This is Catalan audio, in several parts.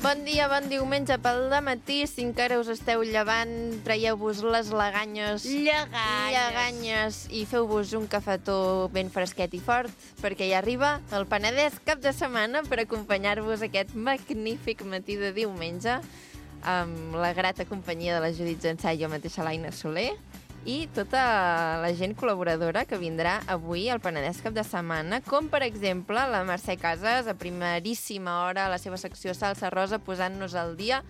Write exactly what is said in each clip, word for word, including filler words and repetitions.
Bon dia, bon diumenge pel dematí. Si encara us esteu llevant, traieu-vos les lleganyes, Lleganyes. lleganyes i feu-vos un cafetó ben fresquet i fort, perquè ja arriba el Penedès cap de setmana per acompanyar-vos aquest magnífic matí de diumenge amb la grata companyia de la Judit Zensà i jo mateixa, l'Aina Soler, i tota la gent col·laboradora que vindrà avui al Penedès cap de setmana, com per exemple la Mercè Casas, a primeríssima hora a la seva secció Salsa Rosa, posant-nos al dia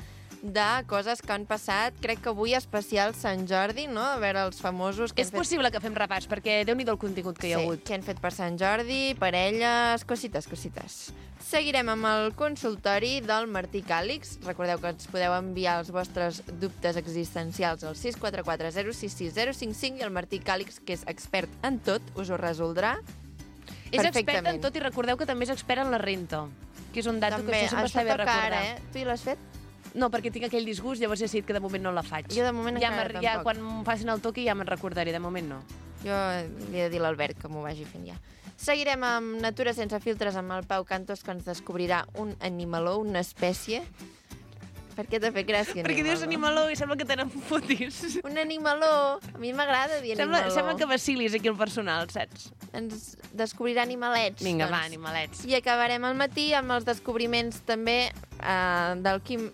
de coses que han passat, crec que avui especial Sant Jordi, no? A veure, els famosos... Que És han fet... possible que fem repàs, perquè déu-n'hi-do el contingut que hi ha sí, hagut. que han fet per Sant Jordi, parelles, cosites, cosites. Seguirem amb el consultori del Martí Càlix. Recordeu que ens podeu enviar els vostres dubtes existencials al sis quatre quatre zero sis sis zero cinc cinc i el Martí Càlix, que és expert en tot, us ho resoldrà És expert perfectament. en tot i recordeu que també és expert en la renta, que és un dato També, que això sempre això està bé toca recordar. ara, eh? Tu hi l'has fet? No, perquè tinc aquell disgust, llavors he decidit que de moment no la faig. Jo de moment ja encara ja, tampoc. quan em facin el toqui ja me'n recordaré, de moment no. Jo li he de dir a l'Albert que m'ho vagi fent ja. Seguirem amb Natura sense filtres amb el Pau Cantos, que ens descobrirà un animaló, una espècie. Per què t'ha fet gràcia, animaló? Perquè dius animaló i sembla que te n'enfotis. Un animaló! A mi m'agrada dir Sembla, animaló. sembla que vacilis aquí el personal, saps? Ens descobrirà animalets. Vinga, doncs. va, animalets. I acabarem al matí amb els descobriments també eh, del Quim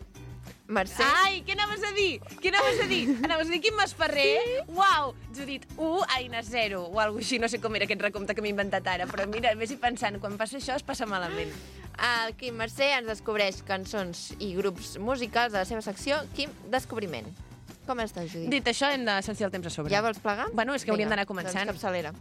Mercè. Ai, què anaves a dir? Què anaves a dir? Anaves a dir Quim Masferrer? Sí? Uau! Judit, u, Aina, zero, o alguna així, no sé com era aquest recompte que m'he inventat ara, però mira, vés-hi pensant, quan passa això es passa malament. El Quim Mercè ens descobreix cançons i grups musicals de la seva secció Quim Descobriment. Com estàs, Judit? Dit això, hem de sentir el temps a sobre. Ja vols plegar? Bueno, és que hauríem Vinga, d'anar començant. Doncs capçalera.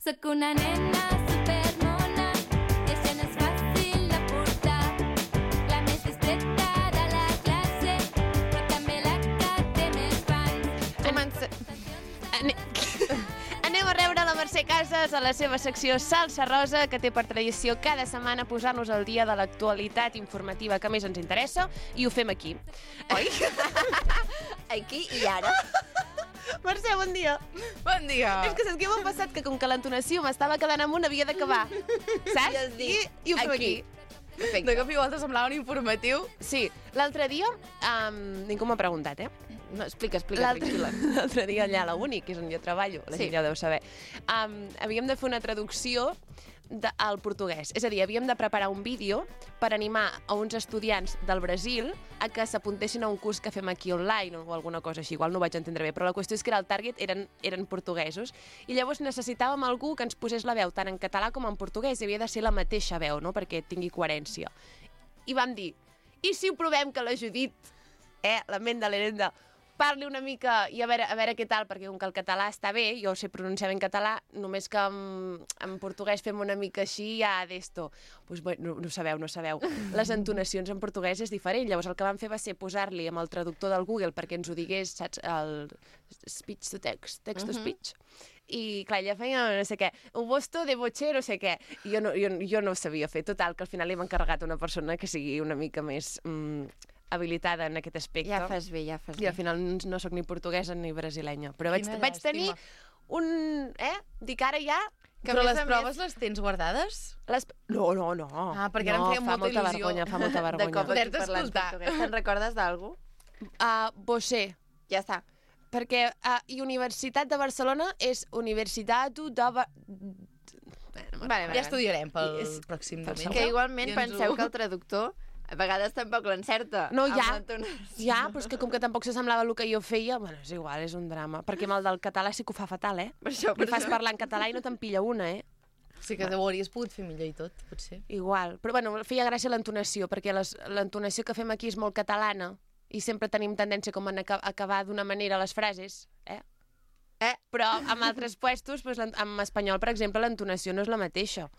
Soc una nena supermona i això no és fàcil de portar. La més discreta de la classe, però també la que té més fans. Comença... Ane... Anem a rebre la Mercè Casas a la seva secció Salsa Rosa, que té per tradició cada setmana posar-nos al dia de l'actualitat informativa que més ens interessa, i ho fem aquí. Oi? Aquí i ara. Mercè, bon dia. Bon dia. És que saps què m'ha passat? Que com que l'entonació m'estava quedant amunt, havia d'acabar. Saps? I has dit, I, i ho fem aquí. De Perfecte. cop i volta semblava un informatiu. Sí, l'altre dia, um, ningú m'ha preguntat, eh? No, explica, explica, L'altre tranquil·la. l'altre dia allà a la Uni, que és on jo treballo, la Sí. gent ja ho deu saber, um, havíem de fer una traducció de, al portuguès. És a dir, havíem de preparar un vídeo per animar a uns estudiants del Brasil a que s'apuntessin a un curs que fem aquí online o alguna cosa així. Igual no ho vaig entendre bé, però la qüestió és que era el target eren, eren portuguesos i llavors necessitàvem algú que ens posés la veu tant en català com en portuguès i havia de ser la mateixa veu, no?, perquè tingui coherència. I vam dir, i si ho provem que la Judit, eh, la ment de l'Herenda, parli una mica i a veure, a veure què tal, perquè com que el català està bé, jo sé pronunciar ben català, només que en, en portuguès fem una mica així, ja d'esto. Pues, bueno, no, no sabeu, no sabeu. Les entonacions en portuguès és diferent. Llavors el que vam fer va ser posar-li amb el traductor del Google perquè ens ho digués, saps, el speech to text, text to speech. I clar, ella feia no sé què, un bosto de botxer, no sé què. I jo no, jo, jo no ho sabia fer. Total, que al final li hem encarregat una persona que sigui una mica més... Mm, habilitada en aquest aspecte. Ja fas bé, ja fas bé. I al final no sóc ni portuguesa ni brasilenya. Però vaig, Quina vaig llàstima. tenir un... Eh? Dic ara ja... Que Però a més les a proves les tens guardades? Les... No, no, no. Ah, perquè ara em no, feia fa molta il·lusió. vergonya, fa molta vergonya. De cop aquí Poder-te parlant escoltar. portuguès. Te'n recordes d'algú? Uh, Bosé. Ja està. Perquè uh, i Universitat de Barcelona és Universitat de... Ba... Vale, vale. Ja estudiarem pel És- pròxim pel diumenge. Que igualment I ens penseu ho- que el traductor a vegades tampoc l'encerta. No, amb ja. l'entonació. Ja, però és que com que tampoc s'assemblava el que jo feia, bueno, és igual, és un drama. Perquè amb el del català sí que ho fa fatal, eh? Per això, per Li fas això. parlar en català i no te'n pilla una, eh? Sí que ho hauries pogut fer millor i tot, potser. Igual. Però bueno, feia gràcia l'entonació, perquè les- l'entonació que fem aquí és molt catalana i sempre tenim tendència com a aca- acabar d'una manera les frases, eh? Eh? Però amb altres puestos, doncs, l'en- en espanyol, per exemple, l'entonació no és la mateixa.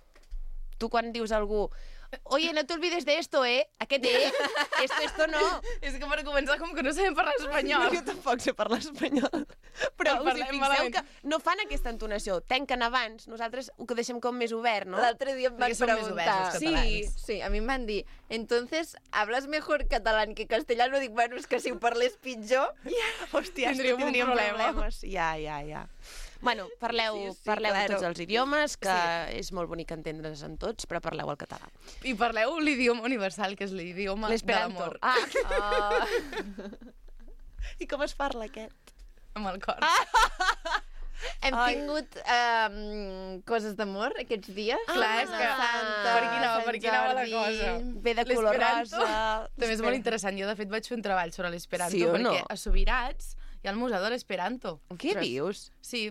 Tu quan dius a algú oye, no te olvides de esto, eh? Aquest eh? Esto, esto no. És que per començar, com que no sabem parlar espanyol. Jo tampoc sé parlar espanyol. Però El us hi parlem fixeu malament. que no fan aquesta entonació. Tanquen abans. Nosaltres ho que deixem com més obert, no? L'altre dia em van Perquè som més preguntar... oberts, els Sí, catalans. Sí, a mi em van dir, entonces, ¿hablas mejor catalán que castellano? Dic, bueno, és que si ho parlés pitjor... Hòstia, Tindríem un tindríem problema. problemes. Ja, ja, ja. Bueno, parleu, Sí, sí, parleu claro. tots els idiomes, que és molt bonic entendre's en tots, però parleu el català. I parleu l'idioma universal, que és l'idioma de L'esperanto. l'amor. Ah, Oh, i com es parla aquest? Amb el cor. hem Ai. tingut um, coses d'amor aquests dies. Clar, és que- Santa, per aquí anava, Sant per aquí anava la Jordi. cosa. Ve de color L'esperanto rosa. També és molt interessant. Jo, de fet, vaig fer un treball sobre l'esperanto, Sí o perquè no? a Subirats hi ha el Museu de l'Esperanto. Què dius? Sí,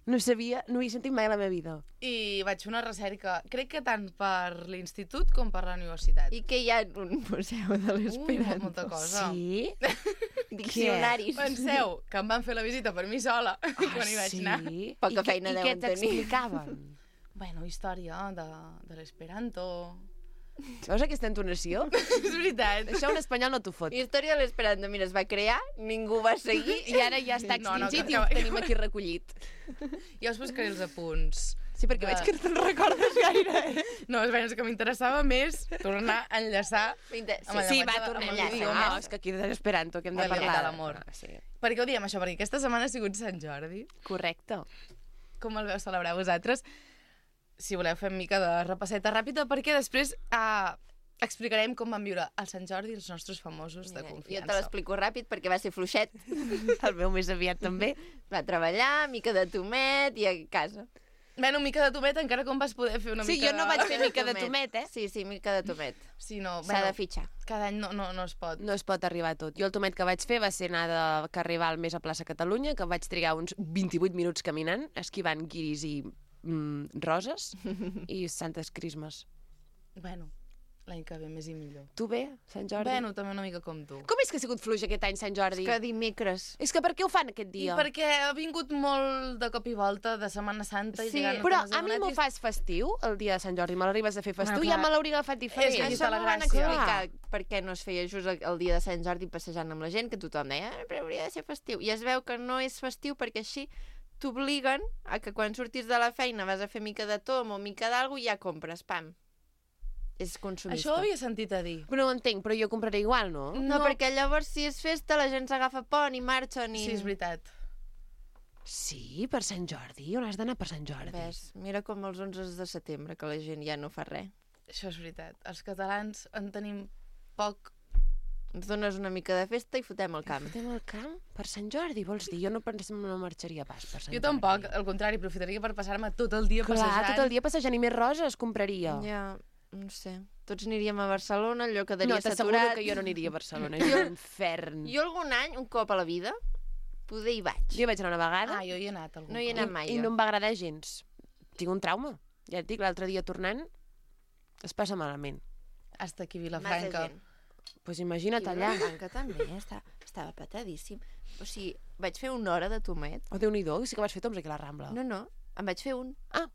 No sabia, no ho he sentit mai a la meva vida. i vaig fer una recerca, crec que tant per l'institut com per la universitat. I que hi ha un museu de Ui, l'esperanto. molta cosa. Sí? Diccionaris. Penseu que em van fer la visita per mi sola, quan hi vaig anar. Ah, Sí? Poca I què- feina I què deuen tenir. t'explicaven? Bueno, història de, de l'esperanto. Veus aquesta entonació? És veritat. Això un espanyol no t'ho fot. Història de l'esperanto, mira, es va crear, ningú va seguir. I ara ja està No, no, extingit que- i ho que- tenim aquí recollit. Ja us buscaré els apunts. Sí, perquè De- veig que no te'n recordes gaire, eh? No, és, és que m'interessava més tornar a enllaçar Vinga, amb el Sí, llenguatge va, de- tornem amb ja. l'idioma. No, és que aquí de l'esperanto que hem de Amb el parlar. de l'amor. Ah, sí. Per què ho diem, això? Perquè aquesta setmana ha sigut Sant Jordi. Correcte. Com el veu celebrar vosaltres? Si voleu, fem mica de repasseta ràpida, perquè després eh, explicarem com van viure el Sant Jordi els nostres famosos de Mira, jo confiança. te l'explico ràpid perquè va ser fluixet. El meu més aviat també. Va treballar, mica de tomet i a casa. Bueno, mica de tomet, encara com vas poder fer una Sí, mica jo no de... vaig fer mica de tomet, eh? Sí, sí, mica de tomet. Sí, no, S'ha de fitxar. cada any no, no, no es pot. No es pot arribar a tot. Jo el tomet que vaig fer va ser anar de Carrival més a plaça Catalunya, que vaig trigar uns vint-i-vuit minuts caminant, esquivant guiris i mm, roses i santes crismes. Bueno, l'any que ve més i millor. Tu bé, Sant Jordi? Bueno, també una mica com tu. Com és que ha sigut fluix aquest any Sant Jordi? Que dimecres. És que per què ho fan aquest I dia? perquè ha vingut molt de cop i volta de Setmana Santa i Sí, llegant Però els a mi m'ho donatis. fas festiu, el dia de Sant Jordi, me l'arribes a fer festiu, Bueno, ja clar. me l'hauria agafat diferent. És que Això està la m'ho van gràcia. explicar per què no es feia just el, el dia de Sant Jordi passejant amb la gent, que tothom deia, ah, però hauria de ser festiu. I es veu que no és festiu perquè així t'obliguen a que quan surtis de la feina vas a fer mica de tom o mica d'algú i ja compres, pam. És consumista. Això ho havia sentit a dir. Però no ho entenc, però jo compraré igual, no? No, No. perquè llavors si és festa la gent s'agafa pont i marxen i... Sí, és veritat. Sí, per Sant Jordi? On has d'anar per Sant Jordi? Ves, mira com els onze de setembre, que la gent ja no fa res. Això és veritat. Els catalans en tenim poc. Ens dones una mica de festa i fotem el camp. Fotem al camp? Per Sant Jordi, vols dir? Jo no pensem no marxaria pas per Sant Jo Jordi. tampoc, al contrari, aprofitaria per passar-me tot el dia Clar, passejant. tot el dia passejant i més roses compraria. Ja, no sé. Tots aniríem a Barcelona, allò quedaria No, t'asseguro saturat. que jo no aniria a Barcelona, és un infern. Jo algun any, un cop a la vida, poder hi vaig. Jo hi vaig anar una vegada Ah, jo hi he anat algun No hi he cop. anat mai, i jo. no em va agradar gens. Tinc un trauma. Ja et dic, l'altre dia tornant es passa malament. Hasta aquí a Massa Vilafranca. gent. Doncs pues imagina't I allà. Vilafranca també, estava, estava petadíssim. O sigui, vaig fer una hora de tomet. Oh, Déu-n'hi-do, sí que vas fer toms aquí a la Rambla. No, no, em vaig fer un. Ah,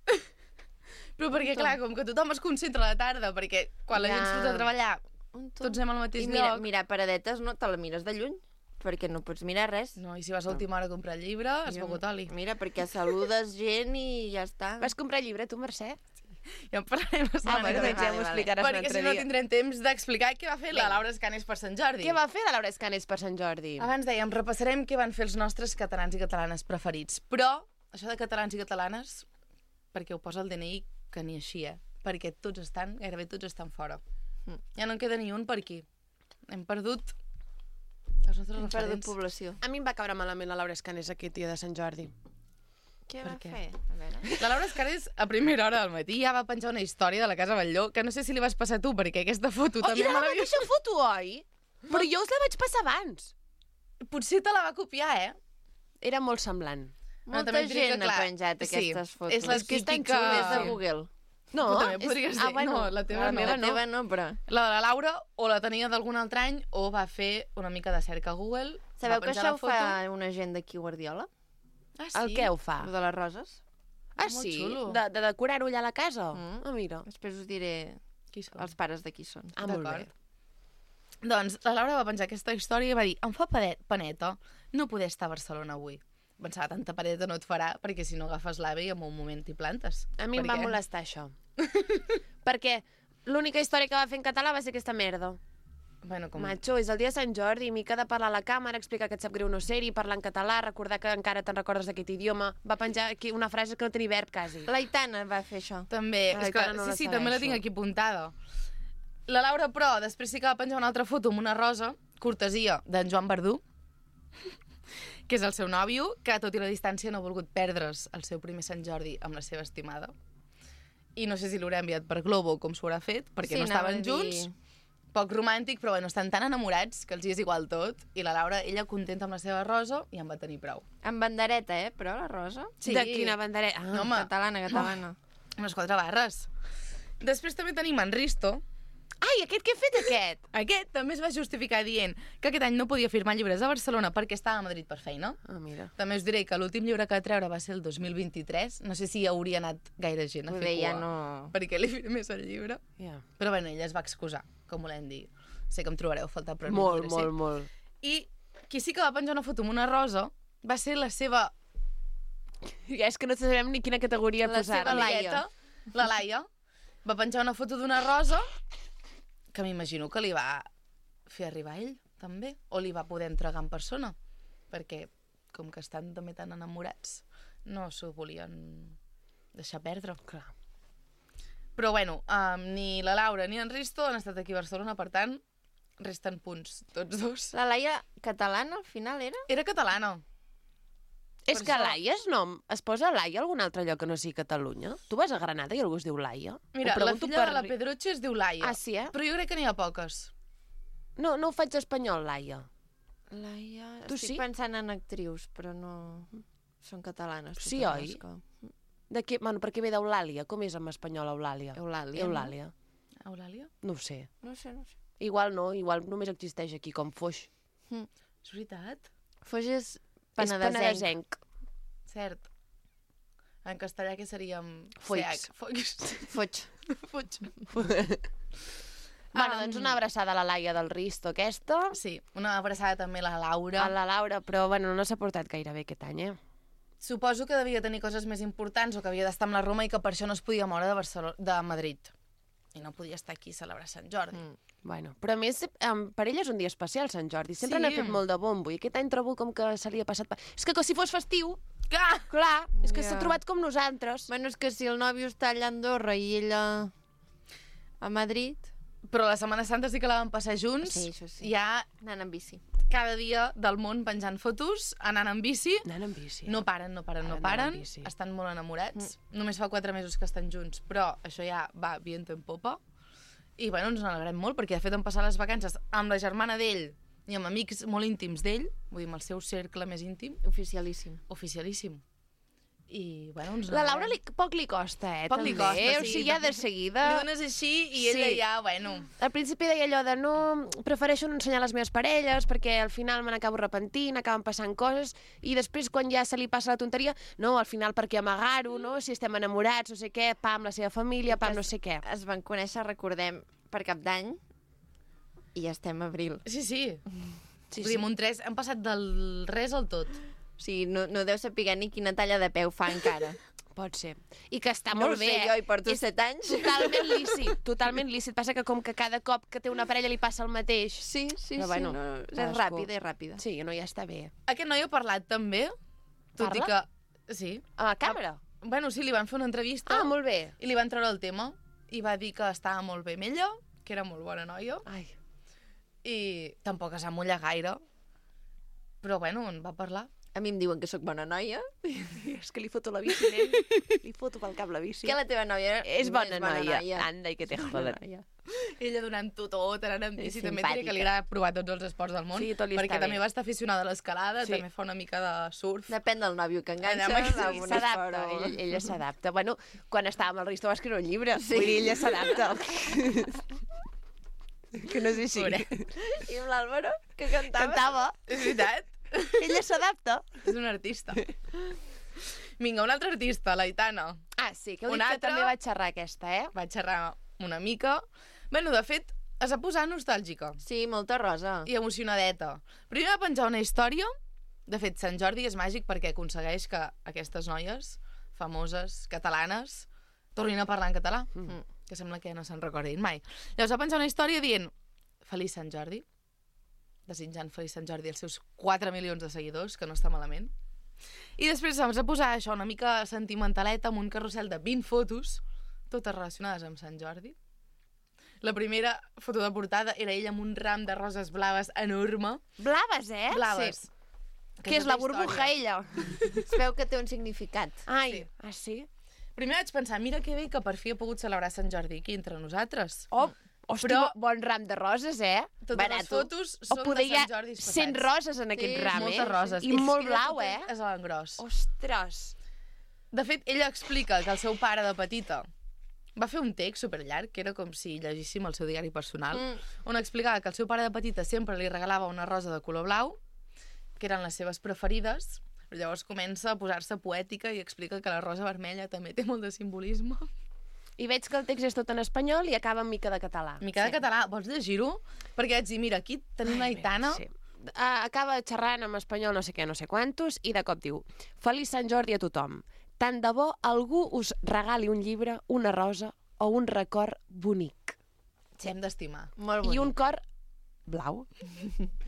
Però perquè, clar, com que tothom es concentra a la tarda, perquè quan la Ja. gent surt a treballar, un tom. tots anem al mateix I mira, lloc. mirar paradetes no te la mires de lluny, perquè no pots mirar res. No, i si vas a última hora a comprar llibre, has Jo- begut oli. Mira, perquè saludes gent i ja està. vas comprar llibre, tu, Mercè? Ja en parlarem la Ah, setmana bueno, que ve. doncs ja vale, m'ho vale. explicaràs un Perquè altre si no dia. tindrem temps d'explicar què va fer la Laura Escanes per Sant Jordi. Què va fer la Laura Escanes per Sant Jordi? Abans dèiem, repassarem què van fer els nostres catalans i catalanes preferits. Però, això de catalans i catalanes, perquè ho posa el D N I, que ni així, eh? Perquè tots estan, gairebé tots estan fora. Mm. Ja no en queda ni un per aquí. Hem perdut els nostres Hem perdut referents. població. A mi em va caure malament la Laura Escanes aquest dia de Sant Jordi. Què Per va què? fer? A veure. La Laura Escanes, a primera hora del matí, ja va penjar una història de la Casa Batlló, que no sé si li vas passar tu, perquè aquesta foto Oh, també era me la l'havia... mateixa foto, oi? Però jo us la vaig passar abans. Potser te la va copiar, eh? Era molt semblant. Bueno, Molta també et diré que, gent ha clar, penjat sí, aquestes fotos. és la que és tan típica- xula, és de Google. No, Tu també és- podries ah, dir. bueno, No, la teva La no. meva no, no, però... La de la Laura o la tenia d'algun altre any o va fer una mica de cerca a Google. Sabeu va que penjar això la ho foto. fa una gent d'aquí Guardiola? Ah, sí? El què ho fa? Lo de les roses? Ah, Molt sí? xulo. De, de decorar-ho allà a la casa? Mm. Ah, mira. Després us diré Qui són? els pares de qui són. Ah, molt bé. D'acord. Doncs la Laura va penjar aquesta història i va dir, em fa pade- paneta no poder estar a Barcelona avui. Pensava, tanta paneta no et farà, perquè si no agafes l'AVE i en un moment t'hi plantes. A mi Per em va què? molestar això. Perquè l'única història que va fer en català va ser aquesta merda. Bueno, com... Macho, és el dia de Sant Jordi, mica de parlar a la càmera, explicar que et sap greu no ser-hi, parlar en català, recordar que encara te'n recordes d'aquest idioma. Va penjar aquí una frase que no tenia verb, quasi. L'Aitana va fer això. També, Ai, és que, encara no la sí, sí, també la segueixo. tinc aquí apuntada. La Laura, però, després sí que va penjar una altra foto amb una rosa, cortesia d'en Joan Verdú, que és el seu nòvio, que tot i la distància no ha volgut perdre's el seu primer Sant Jordi amb la seva estimada. I no sé si l'haurà enviat per Globo com s'ho haurà fet, perquè Sí, no anava estaven a dir- junts. Poc romàntic, però bueno, estan tan enamorats que els hi és igual tot. I la Laura, ella contenta amb la seva rosa i en va tenir prou. Amb bandereta, eh, però, la Rosa? Sí. De quina bandereta? Ah, No, home. Catalana, catalana. Amb les quatre barres. Després també tenim en Risto. Ai, aquest què ha fet, aquest? Aquest també es va justificar dient que aquest any no podia firmar llibres a Barcelona perquè estava a Madrid per feina. Ah, mira. També us diré que l'últim llibre que va treure va ser el dos mil vint-i-tres. No sé si hi hauria anat gaire gent a fer Poder ja cua no... perquè li firmés el llibre. Ja. Però bueno, ella es va excusar, com volem dir. Sé que em trobareu a faltar, però no Molt, podré molt, ser. molt. I qui sí que va penjar una foto amb una rosa va ser la seva Ja és que no sabem ni quina categoria La posar. seva Laia. amigueta, la Laia. Va penjar una foto d'una rosa que m'imagino que li va fer arribar a ell, també, o li va poder entregar en persona, perquè com que estan també tan enamorats, no s'ho volien deixar perdre. Clar. Però bueno, um, ni la Laura ni en Risto han estat aquí a Barcelona, per tant, resten punts tots dos. La Laia catalana, al final, era? Era catalana. És Per que això- Laia és nom. Es posa Laia a algun altre lloc que no sigui Catalunya? Tu vas a Granada i algú es diu Laia? Mira, Ho la pregunto filla per... de la Pedroche es diu Laia. Ah, sí, eh? Però jo crec que n'hi ha poques. No, no ho faig espanyol, Laia. Laia... Tu Estic sí? pensant en actrius, però no... Són catalanes. Sí, totes oi? les que- De què? Bueno, perquè ve d'Eulàlia. Com és en espanyol Eulàlia? Eulàlia, Eulàlia. Eulàlia? No ho sé. No sé, no sé. Igual no, igual només existeix aquí com Foix. És veritat? Foix és És penedesenc. penedesenc. Cert. En castellà què seria amb Foix. C H? Foix. Foig. Foix. Bueno, Um, doncs una abraçada a la Laia del Risto, aquesta. Sí, una abraçada també a la Laura. A la Laura, però bueno, no s'ha portat gaire bé aquest any, eh? Suposo que devia tenir coses més importants o que havia d'estar amb la Roma i que per això no es podia moure de, Barcelona, de Madrid. I no podia estar aquí a celebrar Sant Jordi. Mm. Bueno, però a més, um, per ell és un dia especial, Sant Jordi. Sempre Sí. n'ha fet molt de bombo i aquest any trobo com que se li ha passat... pa- És que, que si fos festiu, Clar! clar, és que Ja. s'ha trobat com nosaltres. Bueno, és que si el nòvio està allà a Andorra i ella a Madrid, Però la Setmana Santa sí que la van passar junts. Sí, això sí. Ja anant en bici. cada dia del món penjant fotos, anant en bici. Anant en bici. No paren, no paren, no Ara paren. anant en bici. Estan molt enamorats. Mm. Només fa quatre mesos que estan junts, però això ja va viento en popa. I bueno, ens n'alegrem molt, perquè de fet han passat les vacances amb la germana d'ell i amb amics molt íntims d'ell, vull dir, amb el seu cercle més íntim, Oficialíssim. oficialíssim. I bueno, ens La n'alegrem. Laura li, poc li costa, eh, Poc li també. costa, O sí. sigui, ja de Li seguida... dones així i ella Sí. ja, bueno... Al principi deia allò de no, prefereixo no ensenyar les meves parelles perquè al final me n'acabo repentint, acaben passant coses, i després quan ja se li passa la tonteria, no, al final perquè amagar-ho, no? Si estem enamorats, no sé què, pam, la seva família, pam, no sé què. Es van conèixer, recordem, per Cap d'Any i ja estem a abril. Sí, sí. Sí, Vull dir, amb un tres hem passat del res al tot. O sigui, no, no deu saber ni quina talla de peu fa encara. Pot ser. I que està No molt ho sé, bé, eh? jo hi porto És set anys. Totalment lícit, totalment lícit. Passa que com que cada cop que té una parella li passa el mateix. Sí, sí, Però sí. bueno, no, és cadascú. ràpida, és ràpida. Sí, no, ja està bé. Aquest noi ha parlat també, tot i Parla? que... Sí. A la càmera? Bueno, sí, li van fer una entrevista Ah, molt bé. i li van treure el tema i va dir que estava molt bé amb ella, que era molt bona noia, Ai, i tampoc es va mullar gaire, però bueno, en va parlar. A mi em diuen que sóc bona noia. és que li foto la bici, nen. Li foto pel cap la bici. Que la teva noia És bona, noia. noia. Anda, i que te joden. Ella donant-ho tot, anant amb bici, És també et diré que li simpàtica. agrada provar tots els esports del món, Sí, tot li perquè està també bé. va estar aficionada a l'escalada, Sí. també fa una mica de surf. Depèn del nòvio que enganxa. Allà, amb sí, un S'adapta, esport o- ella, ella s'adapta. Bueno, quan estava amb el Risto va escriure un llibre. Sí. Vull dir, ella s'adapta. que no és així. Pobret. I amb l'Àlvaro, que cantava. Cantava. És veritat? Ella s'adapta. És un artista. Vinga, una altra artista, l'Aitana. Ah, sí, que heu dit Una que altra. també va xerrar aquesta, eh? Vaig xerrar una mica. Bueno, de fet, es va posar nostàlgica Sí, molta rosa. i emocionadeta. Primer va penjar una història. De fet, Sant Jordi és màgic perquè aconsegueix que aquestes noies famoses, catalanes, tornin a parlar en català, mm. que sembla que no se'n recordin mai. Llavors va penjar una història dient Feliç Sant Jordi, desitjant Feliç Sant Jordi als seus quatre milions de seguidors, que no està malament. I després ens va posar això una mica sentimentaleta amb un carrusel de vint fotos, totes relacionades amb Sant Jordi. La primera foto de portada era ella amb un ram de roses blaves enorme. Blaves, eh? Blaves. Sí. Que és la tota burbuja, història. ella. Es veu que té un significat. Ai, Sí. ah, sí? Primer vaig pensar, mira que bé que per fi he pogut celebrar Sant Jordi aquí entre nosaltres. Oh, hosti, Però- bon ram de roses, eh? Totes Barato. les fotos O són de poder hi ha Sant Jordi passats. cent roses en aquest Sí, ram, eh? Moltes roses. I És molt que blau, tot eh? És a l'engròs. Ostres. De fet, ella explica que el seu pare de petita va fer un text superllarg, que era com si llegíssim el seu diari personal, Mm. on explicava que el seu pare de petita sempre li regalava una rosa de color blau, que eren les seves preferides, però llavors comença a posar-se poètica i explica que la rosa vermella també té molt de simbolisme. I veig que el text és tot en espanyol i acaba en mica de català. Mica de català, vols llegir-ho? Perquè vaig dir, mira, aquí tenim la Aitana. Sí. Uh, acaba xerrant en espanyol no sé què, no sé quantos, i de cop diu Feliç Sant Jordi a tothom. Tant de bo algú us regali un llibre, una rosa o un record bonic. Hem d'estimar. Molt I bonic. un cor blau.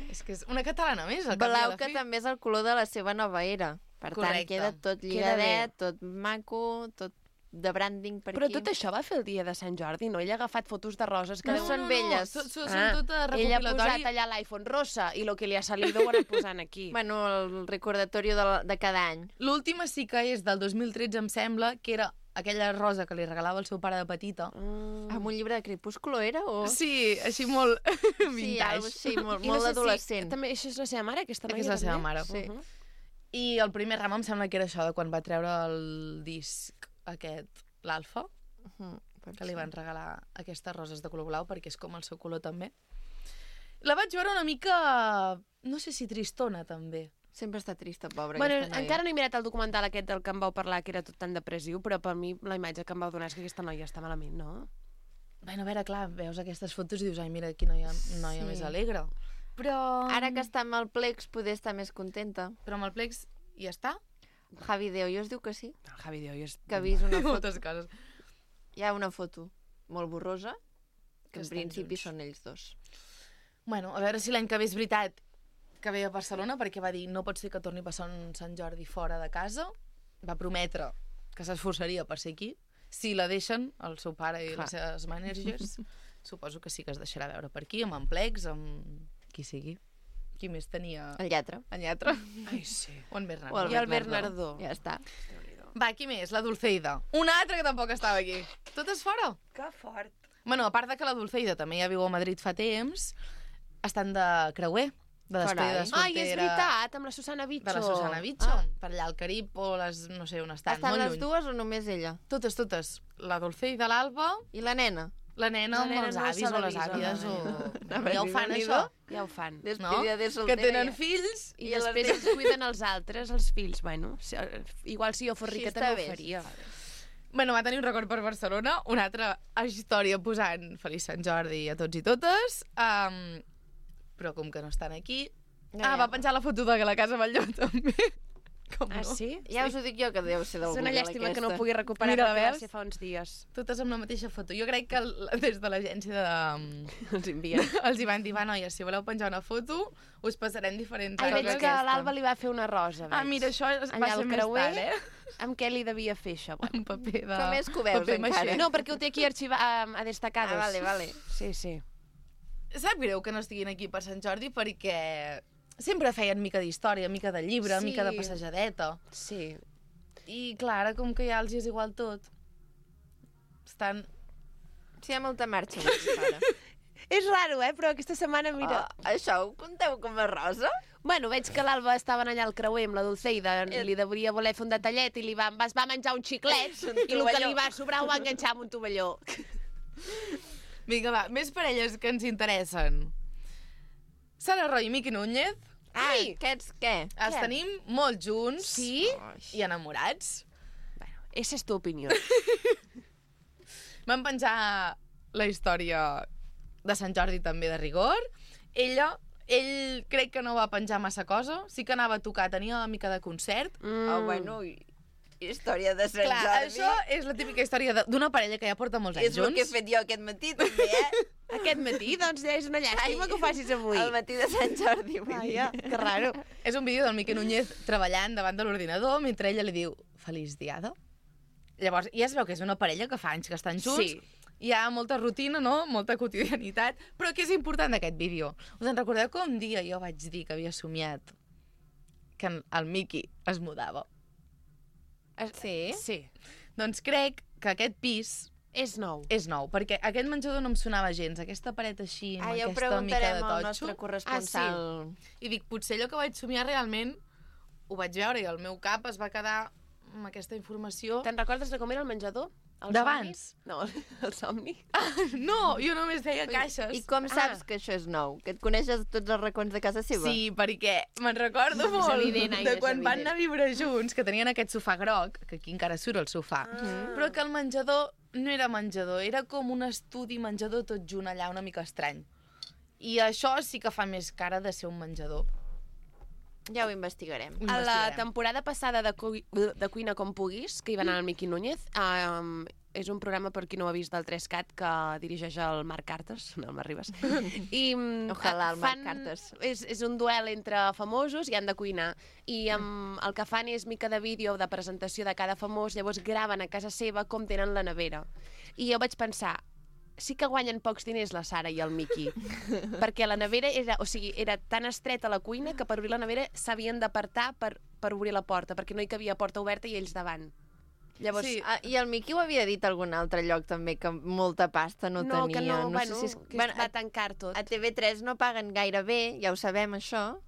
És que és una catalana més, al cap i a Blau, la que fi. també és el color de la seva nova era. Per Correcte. tant, queda tot Queda lligadet, tot maco, tot de branding per Però aquí. tot això va fer el dia de Sant Jordi, no? Ella ha agafat fotos de roses que No, deu- són velles. No, són, Ah, són tot ella ha recopilatori. posat allà l'iPhone rosa i lo que li ha salido ho ha anat posant aquí. Bueno, el recordatori de, la- de cada any. L'última sí que és del dos mil tretze, em sembla, que era aquella rosa que li regalava el seu pare de petita. Mm. Amb un llibre de Crepúsculo era? O... Sí, així molt sí, vintage. algo així, molt, I no molt sé si adolescent. també això és la seva mare, aquesta noia? És la seva també? mare. Sí. Uh-huh. I el primer ram em sembla que era això, de quan va treure el disc aquest, l'Alfa, Mhm, que li van regalar aquestes roses de color blau, perquè és com el seu color també. La vaig veure una mica, no sé si tristona, també. Sempre està trista, pobra, Bueno, aquesta noia. encara no he mirat el documental aquest del que em vau parlar, que era tot tan depressiu, però per mi la imatge que em vau donar és que aquesta noia està malament, no? Bueno, a veure, clar, veus aquestes fotos i dius, ai, mira, quina noia, noia Sí. més alegre. Però... Ara que està amb el Plex, poder estar més contenta. Però amb el plex ja està? Javi de Hoyos diu que sí, El Javi de hoy és... que ha vist una foto. Moltes coses. Hi ha una foto molt borrosa, que Que en estan principi junts. són ells dos. Bueno, a veure si l'any que ve és veritat que ve a Barcelona, perquè va dir no pot ser que torni a passar un Sant Jordi fora de casa. Va prometre que s'esforçaria per ser aquí. Si la deixen, el seu pare i Clar. les seves managers, suposo que sí que es deixarà veure per aquí, amb en Plex, amb qui sigui. Qui més tenia El lletre. en lletra? Ai, sí. O en Bernardo. O el I el Bernardo. Bernardo. Ja està. Va, qui més? La Dulceida. Una altra que tampoc estava aquí. Totes fora. Que fort. Bueno, a part de que la Dulceida també ja viu a Madrid fa temps, estan de creuer, de despedida Carai. soltera. Ai, és veritat, amb la Susana Bicho. De la Susana Bicho, ah. per allà al Carib o les, no sé on estan, Estan molt les lluny. dues o només ella? Totes, totes. La Dulceida, l'Alba, I la nena? la nena La amb nena els no avis se l'ha o les vist, àvies. la O... nena. Ja ho fan, Déu-n'hi-do. això. Ja ho fan. No? Despedida de soltera. Que tenen ja. fills. I, I a les després filles. els cuiden els altres, els fills. Bueno, si, igual si jo fos Així rica està també bé, ho faria. Bueno, va tenir un record per Barcelona, una altra història posant Feliç Sant Jordi a tots i totes, um, però com que no estan aquí... Ja, Ah, ja. va penjar la foto de la Casa Batlló, també. Com Ah, no? sí? Ja us ho dic jo, que deu ser del És una Google, llàstima que aquesta. no pugui recuperar Mira, la perquè va veus? ser fa uns dies. Totes amb la mateixa foto. Jo crec que el, des de l'agència de... Els envien. els hi van dir, va, noies, si voleu penjar una foto, us passarem diferents Ai, veig coses. que l'Alba li va fer una rosa, veig. Ah, mira, això es- va Allà ser al més creuer, tard, eh? amb què li devia fer això? Bueno. Un paper de... Com és que ho veus, paper encara? maixé. No, perquè ho té aquí arxivat a, a destacades. Ah, vale, vale. Sí, sí. Sap greu que no estiguin aquí per Sant Jordi perquè sempre feien mica d'història, mica de llibre, Sí. mica de passejadeta. Sí. I, clar, ara com que ja els hi és igual tot, estan... Sí, hi ha molta marxa avui, ara. És raro, eh? Però aquesta setmana, mira... Ah, això ho conteu com a rosa? Bueno, veig que l'Alba estaven allà al creuer amb la Dulceida, li devia voler fer un detallet i li va, es va menjar un xiclet Un i el que tovalló. li va sobrar ho va enganxar amb un tovalló. Vinga, va, més parelles que ens interessen. Sara Roy i Miqui Núñez, Ai, aquests què? Els Què? tenim molt junts Sí? i enamorats. Bueno, esa és tu opinió. Vam penjar la història de Sant Jordi també de rigor. Ella, ell crec que no va penjar massa cosa, sí que anava a tocar, tenia una mica de concert. Mm. Oh, bueno, i- història de Sant Clar, Jordi. això és la típica història de- d'una parella que ja porta molts anys és el junts. que he fet jo aquest matí, també, eh? Aquest matí, doncs, ja és una llàstima que ho facis avui. El matí de Sant Jordi, vull dir. Vaja, que raro. És un vídeo del Miqui Núñez treballant davant de l'ordinador mentre ella li diu Feliç diada. Llavors, ja es veu que és una parella que fa anys que estan junts. Sí. Hi ha molta rutina, no? Molta quotidianitat. Però què és important d'aquest vídeo? Us en recordeu que un dia jo vaig dir que havia somiat que el Miqui es mudava? Sí? Sí. Doncs crec que aquest pis És nou. és nou, perquè aquest menjador no em sonava gens, aquesta paret així, amb Ah, ja ho aquesta mica de preguntarem al totxo. nostre corresponsal. I dic, potser allò que vaig somiar realment ho vaig veure i el meu cap es va quedar amb aquesta informació. Te'n recordes de com era el menjador? El D'abans? somni? No, el somni. No, jo només feia caixes. I com saps Ah. que això és nou? Que et coneixes tots els racons de casa seva? Sí, perquè me'n recordo molt evident, Aina, de és quan van evident. anar a viure junts, que tenien aquest sofà groc, que aquí encara surt el sofà, però que el menjador no era menjador, era com un estudi menjador tot junt allà, una mica estrany. I això sí que fa més cara de ser un menjador. Ja ho investigarem. Ho A la investigarem. temporada passada de, Cu de Cuina com puguis, que hi va anar el Miqui Núñez, um, és un programa, per qui no ho ha vist, del tres cat, que dirigeix el Marc Cartes, no el Marc Ribas. I, mm, Ojalà, el Marc fan- Cartes. És, és un duel entre famosos i han de cuinar. I um, el que fan és mica de vídeo de presentació de cada famós, llavors graven a casa seva com tenen la nevera. I jo vaig pensar, sí que guanyen pocs diners la Sara i el Miqui, perquè la nevera era, o sigui, era tan estreta la cuina que per obrir la nevera s'havien d'apartar per, per obrir la porta, perquè no hi cabia porta oberta i ells davant. Llavors, Sí. Ah, I el Miqui ho havia dit a algun altre lloc també, que molta pasta no, no, tenia. que no, no bueno, sé si és... que bueno, es va tancar tot. a, a T V tres no paguen gaire bé, ja ho sabem això,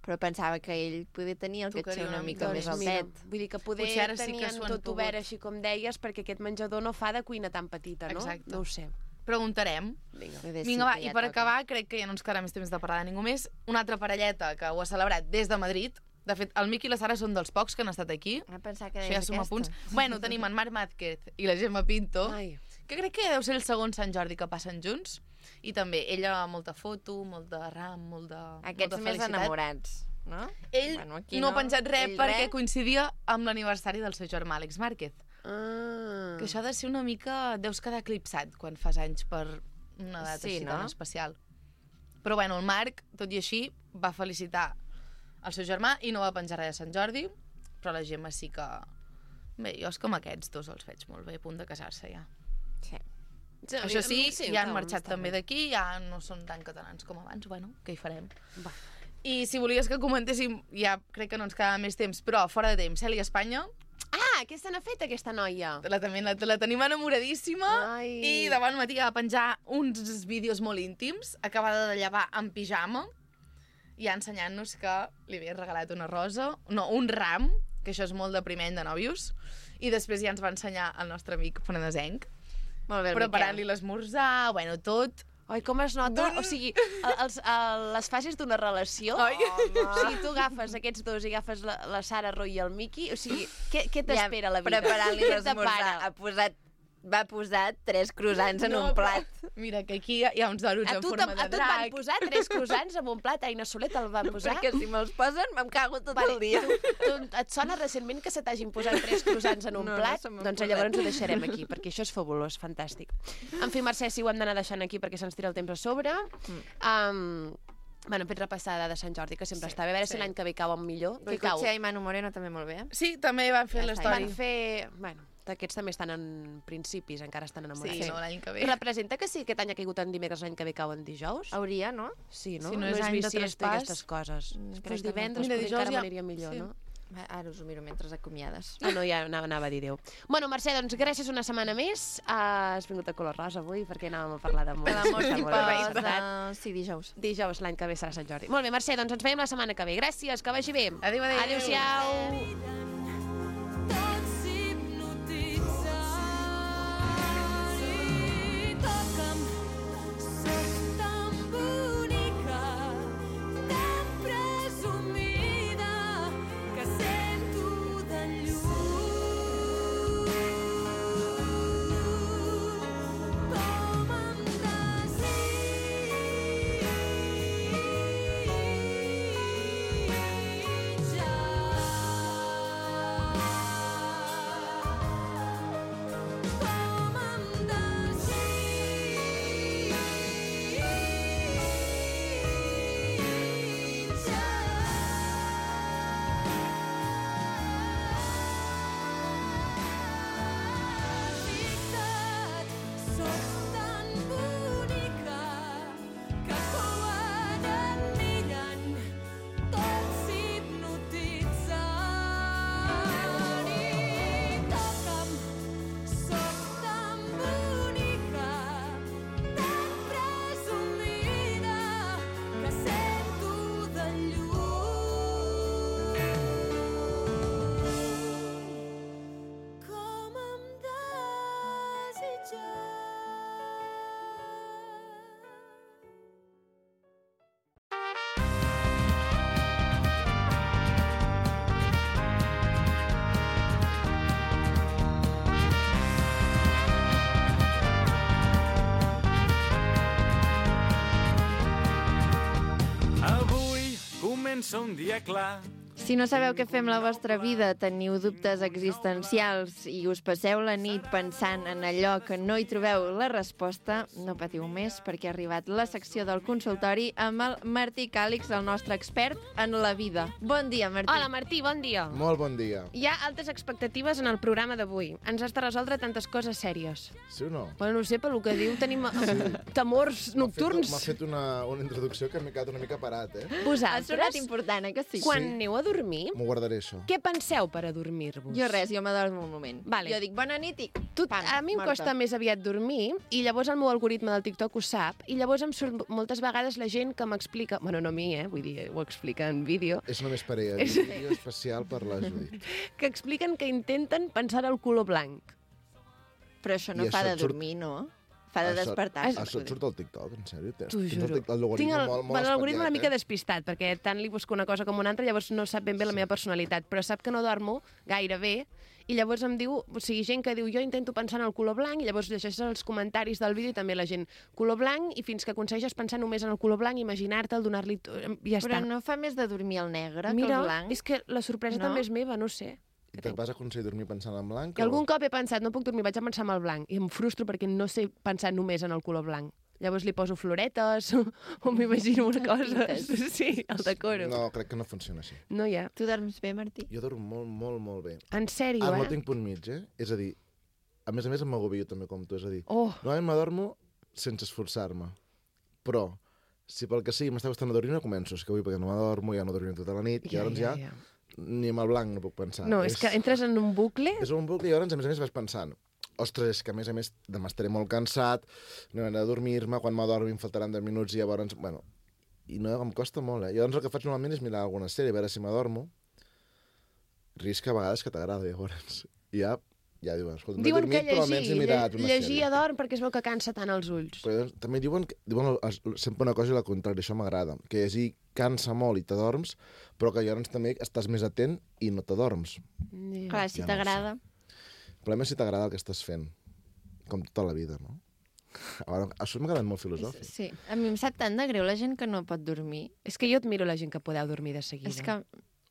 però pensava que ell podia tenir el Tocaria caché una una mica mica més Doncs altet. mira, vull dir que poder Potser ara sí que tenien s'ho han tot pogut. obert, així com deies, perquè aquest menjador no fa de cuina tan petita, no? Exacte. No ho sé. Preguntarem. Vinga. Bé, sí, Vinga, va, que i ja per toca. acabar, crec que ja no ens quedarà més temps de parlar de ningú més. Una altra parelleta que ho ha celebrat des de Madrid. De fet, el Miqui i la Sara són dels pocs que han estat aquí. Ah, pensava que Això ja deies suma aquesta. punts. Bueno, tenim en Marc Mázquez i la Gemma Pinto, Ai. que crec que deu ser el segon Sant Jordi que passen junts. I també ella, molta foto, molt de ram, molt de, Aquests molta més felicitat. enamorats, no? Ell Bueno, aquí no ha penjat res Ell perquè res. coincidia amb l'aniversari del seu germà, Àlex Márquez. Ah. Que això ha de ser una mica... Deus quedar eclipsat quan fas anys per una data Sí, així no? tan especial. Però bueno, el Marc, tot i així, va felicitar el seu germà i no va penjar res de Sant Jordi, però la Gemma sí que... Bé, jo és com aquests dos els veig molt bé, a punt de casar-se ja. Sí. Sí, Això sí, ja han clar, marxat està també bé. d'aquí, ja no són tan catalans com abans, bueno, què hi farem? Va. I si volies que comentéssim, ja crec que no ens quedava més temps, però fora de temps, Cèlia Espanya, Ah, què se n'ha fet, aquesta noia? la, també, la, la tenim enamoradíssima, Ai. i davant matí va penjar uns vídeos molt íntims, acabada de llevar en pijama, ja ensenyant-nos que li havia regalat una rosa, no, un ram, que això és molt de primer any de nòvios, i després ja ens va ensenyar el nostre amic penedesenc, Molt bé, el preparant-li Miquel. l'esmorzar, bueno, tot. Ai, com es nota? D'un- O sigui, el, els, el, les fases d'una relació... Ai. O sigui, tu agafes aquests dos i agafes la, la Sara Roy i el Miqui, o sigui, què, què t'espera la vida? Preparant-li Què l'esmorzar. t'apara? Ha posat, va posar tres croissants en No, un però- plat. Mira, que aquí hi ha uns donuts A en tu, forma a de tu et van drac. posar tres croissants amb un plat, Aina Soler te'l van posar? Perquè si me'ls posen, me'm cago tot Vale, el dia. Tu, tu, et sona recentment que se t'hagin posat tres croissants en un No, no plat? se m'han Doncs posat. llavors ho deixarem aquí, perquè això és fabulós, fantàstic. En fi, Mercè, sí, ho hem d'anar deixant aquí perquè se'ns tira el temps a sobre. Mm. Um, bueno, hem fet repassada de Sant Jordi, que sempre Sí, està bé. A veure sí. si l'any que ve cauen millor. Què cau? Goicoechea i Manu Moreno també molt bé. Sí, també van fer Ja està, l'història. Van fer... Bueno, aquests també estan en principis, encara estan enamorats. Sí, no, l'any que ve. Representa que sí, aquest any ha caigut en dimecres, l'any que ve cau en dijous? Hauria, no? Sí, no? Si no és any de bisiesto i traspàs, aquestes coses. mm, Si crec fos que no. divendres, Mira, potser dijous encara ja- m'aniria millor, sí. no? Va, Ara us ho miro mentre acomiades. Ah, no, ja anava, anava a dir Déu. Bueno, Mercè, doncs gràcies una setmana més. Uh, has vingut a color rosa avui perquè anàvem a parlar d'amor. L'amor Està que molt bé, posa... veritat. Sí, dijous. Dijous l'any que ve serà Sant Jordi. Molt bé, Mercè, doncs ens veiem la setmana que ve. Gràcies, que vagi bé. Adéu, adéu. Adéu-siau. Tots hipnotitzant i toca'm, sóc tan bonica, tan presumida. comença un dia clar. Si no sabeu què fer amb la vostra vida, teniu dubtes existencials i us passeu la nit pensant en allò que no hi trobeu la resposta, no patiu més perquè ha arribat la secció del consultori amb el Martí Càlix, el nostre expert en la vida. Bon dia, Martí. Hola, Martí, bon dia. Molt bon dia. Hi ha altes expectatives en el programa d'avui. Ens has de resoldre tantes coses sèries. Sí o no? Bueno, no sé, pel que diu, tenim sí. temors nocturns. M'ha fet una, una introducció que m'he quedat una mica parat, eh? Ha Vosaltres, sonat important, eh, que sí? quan Sí. aneu a dormir, M'ho guardaré, això. què penseu per adormir-vos? Jo res, jo m'adormo un moment. Vale. Jo dic bona nit i... Tu, pam, a mi em morta. costa més aviat dormir i llavors el meu algoritme del TikTok ho sap i llavors em surt moltes vegades la gent que m'explica, bueno, no a mi, eh, vull dir, ho explica en vídeo, És només per ella. És- És... Vídeo especial per la Judit. que expliquen que intenten pensar el color blanc. Però això no I fa això de et surt- dormir, no? Fa de Això- despertar-se. Això et surt al TikTok, en sèrio? Tens, T'ho tens el juro. tic- L'algoritme Tinc el, molt, molt bueno, l'algoritme una espatllat, mica eh? despistat, perquè tant li busco una cosa com una altra, llavors no sap ben bé la meva personalitat, però sap que no dormo gaire bé, i llavors em diu, o sigui, gent que diu jo intento pensar en el color blanc, i llavors llegeixes els comentaris del vídeo i també la gent, color blanc, i fins que aconsegueixes pensar només en el color blanc, imaginar-te'l, donar-li... i ja Però està. no fa més de dormir el negre Mira, que el blanc? és que la sorpresa No? també és meva, no sé. I te vas aconseguir dormir pensant en blanc? I algun cop he pensat, no puc dormir, vaig a pensar en el blanc, i em frustro perquè no sé pensar només en el color blanc. Llavors li poso floretes o, o m'imagino una cosa. Pintes. Sí, el decoro. No, No, crec que no funciona així. no hi ha. Tu dorms bé, Martí? Jo dormo molt, molt, molt bé. En sèrio, Ah, eh? no tinc punt mig, eh? És a dir, a més a més em m'agobio també com tu, és a dir, Oh, normalment m'adormo sense esforçar-me, però si pel que sigui m'està costant adormir, no començo, és que avui perquè no m'adormo, ja no dormiré tota la nit, i llavors ja, ni amb el blanc no puc pensar. No, és que entres en un bucle... És un bucle i llavors, a més a més, vas pensant ostres, és que a més a més demà estaré molt cansat, no he de dormir-me, quan m'adormi em faltaran deu minuts i llavors... Bueno, i no, em costa molt, eh? Llavors el que faig normalment és mirar alguna sèrie, a veure si m'adormo. Risc a vegades que t'agrada, llavors. I ja, ja diuen, escolta, no he Diuen dormit, que però almenys he llegir, mirat una llegir sèrie. adorm perquè es veu que cansa tant els ulls. Però llavors, també diuen, que, diuen el- sempre una cosa i la contrària, això m'agrada, que llegir cansa molt i t'adorms, però que llavors també estàs més atent i no t'adorms. Yeah. Clar, si Ja no ho t'agrada. El problema és si t'agrada el que estàs fent, com tota la vida, no? Ara, això m'ha quedat molt filosòfic. Sí. A mi em sap tant de greu la gent que no pot dormir. És que jo admiro la gent que podeu dormir de seguida. És que,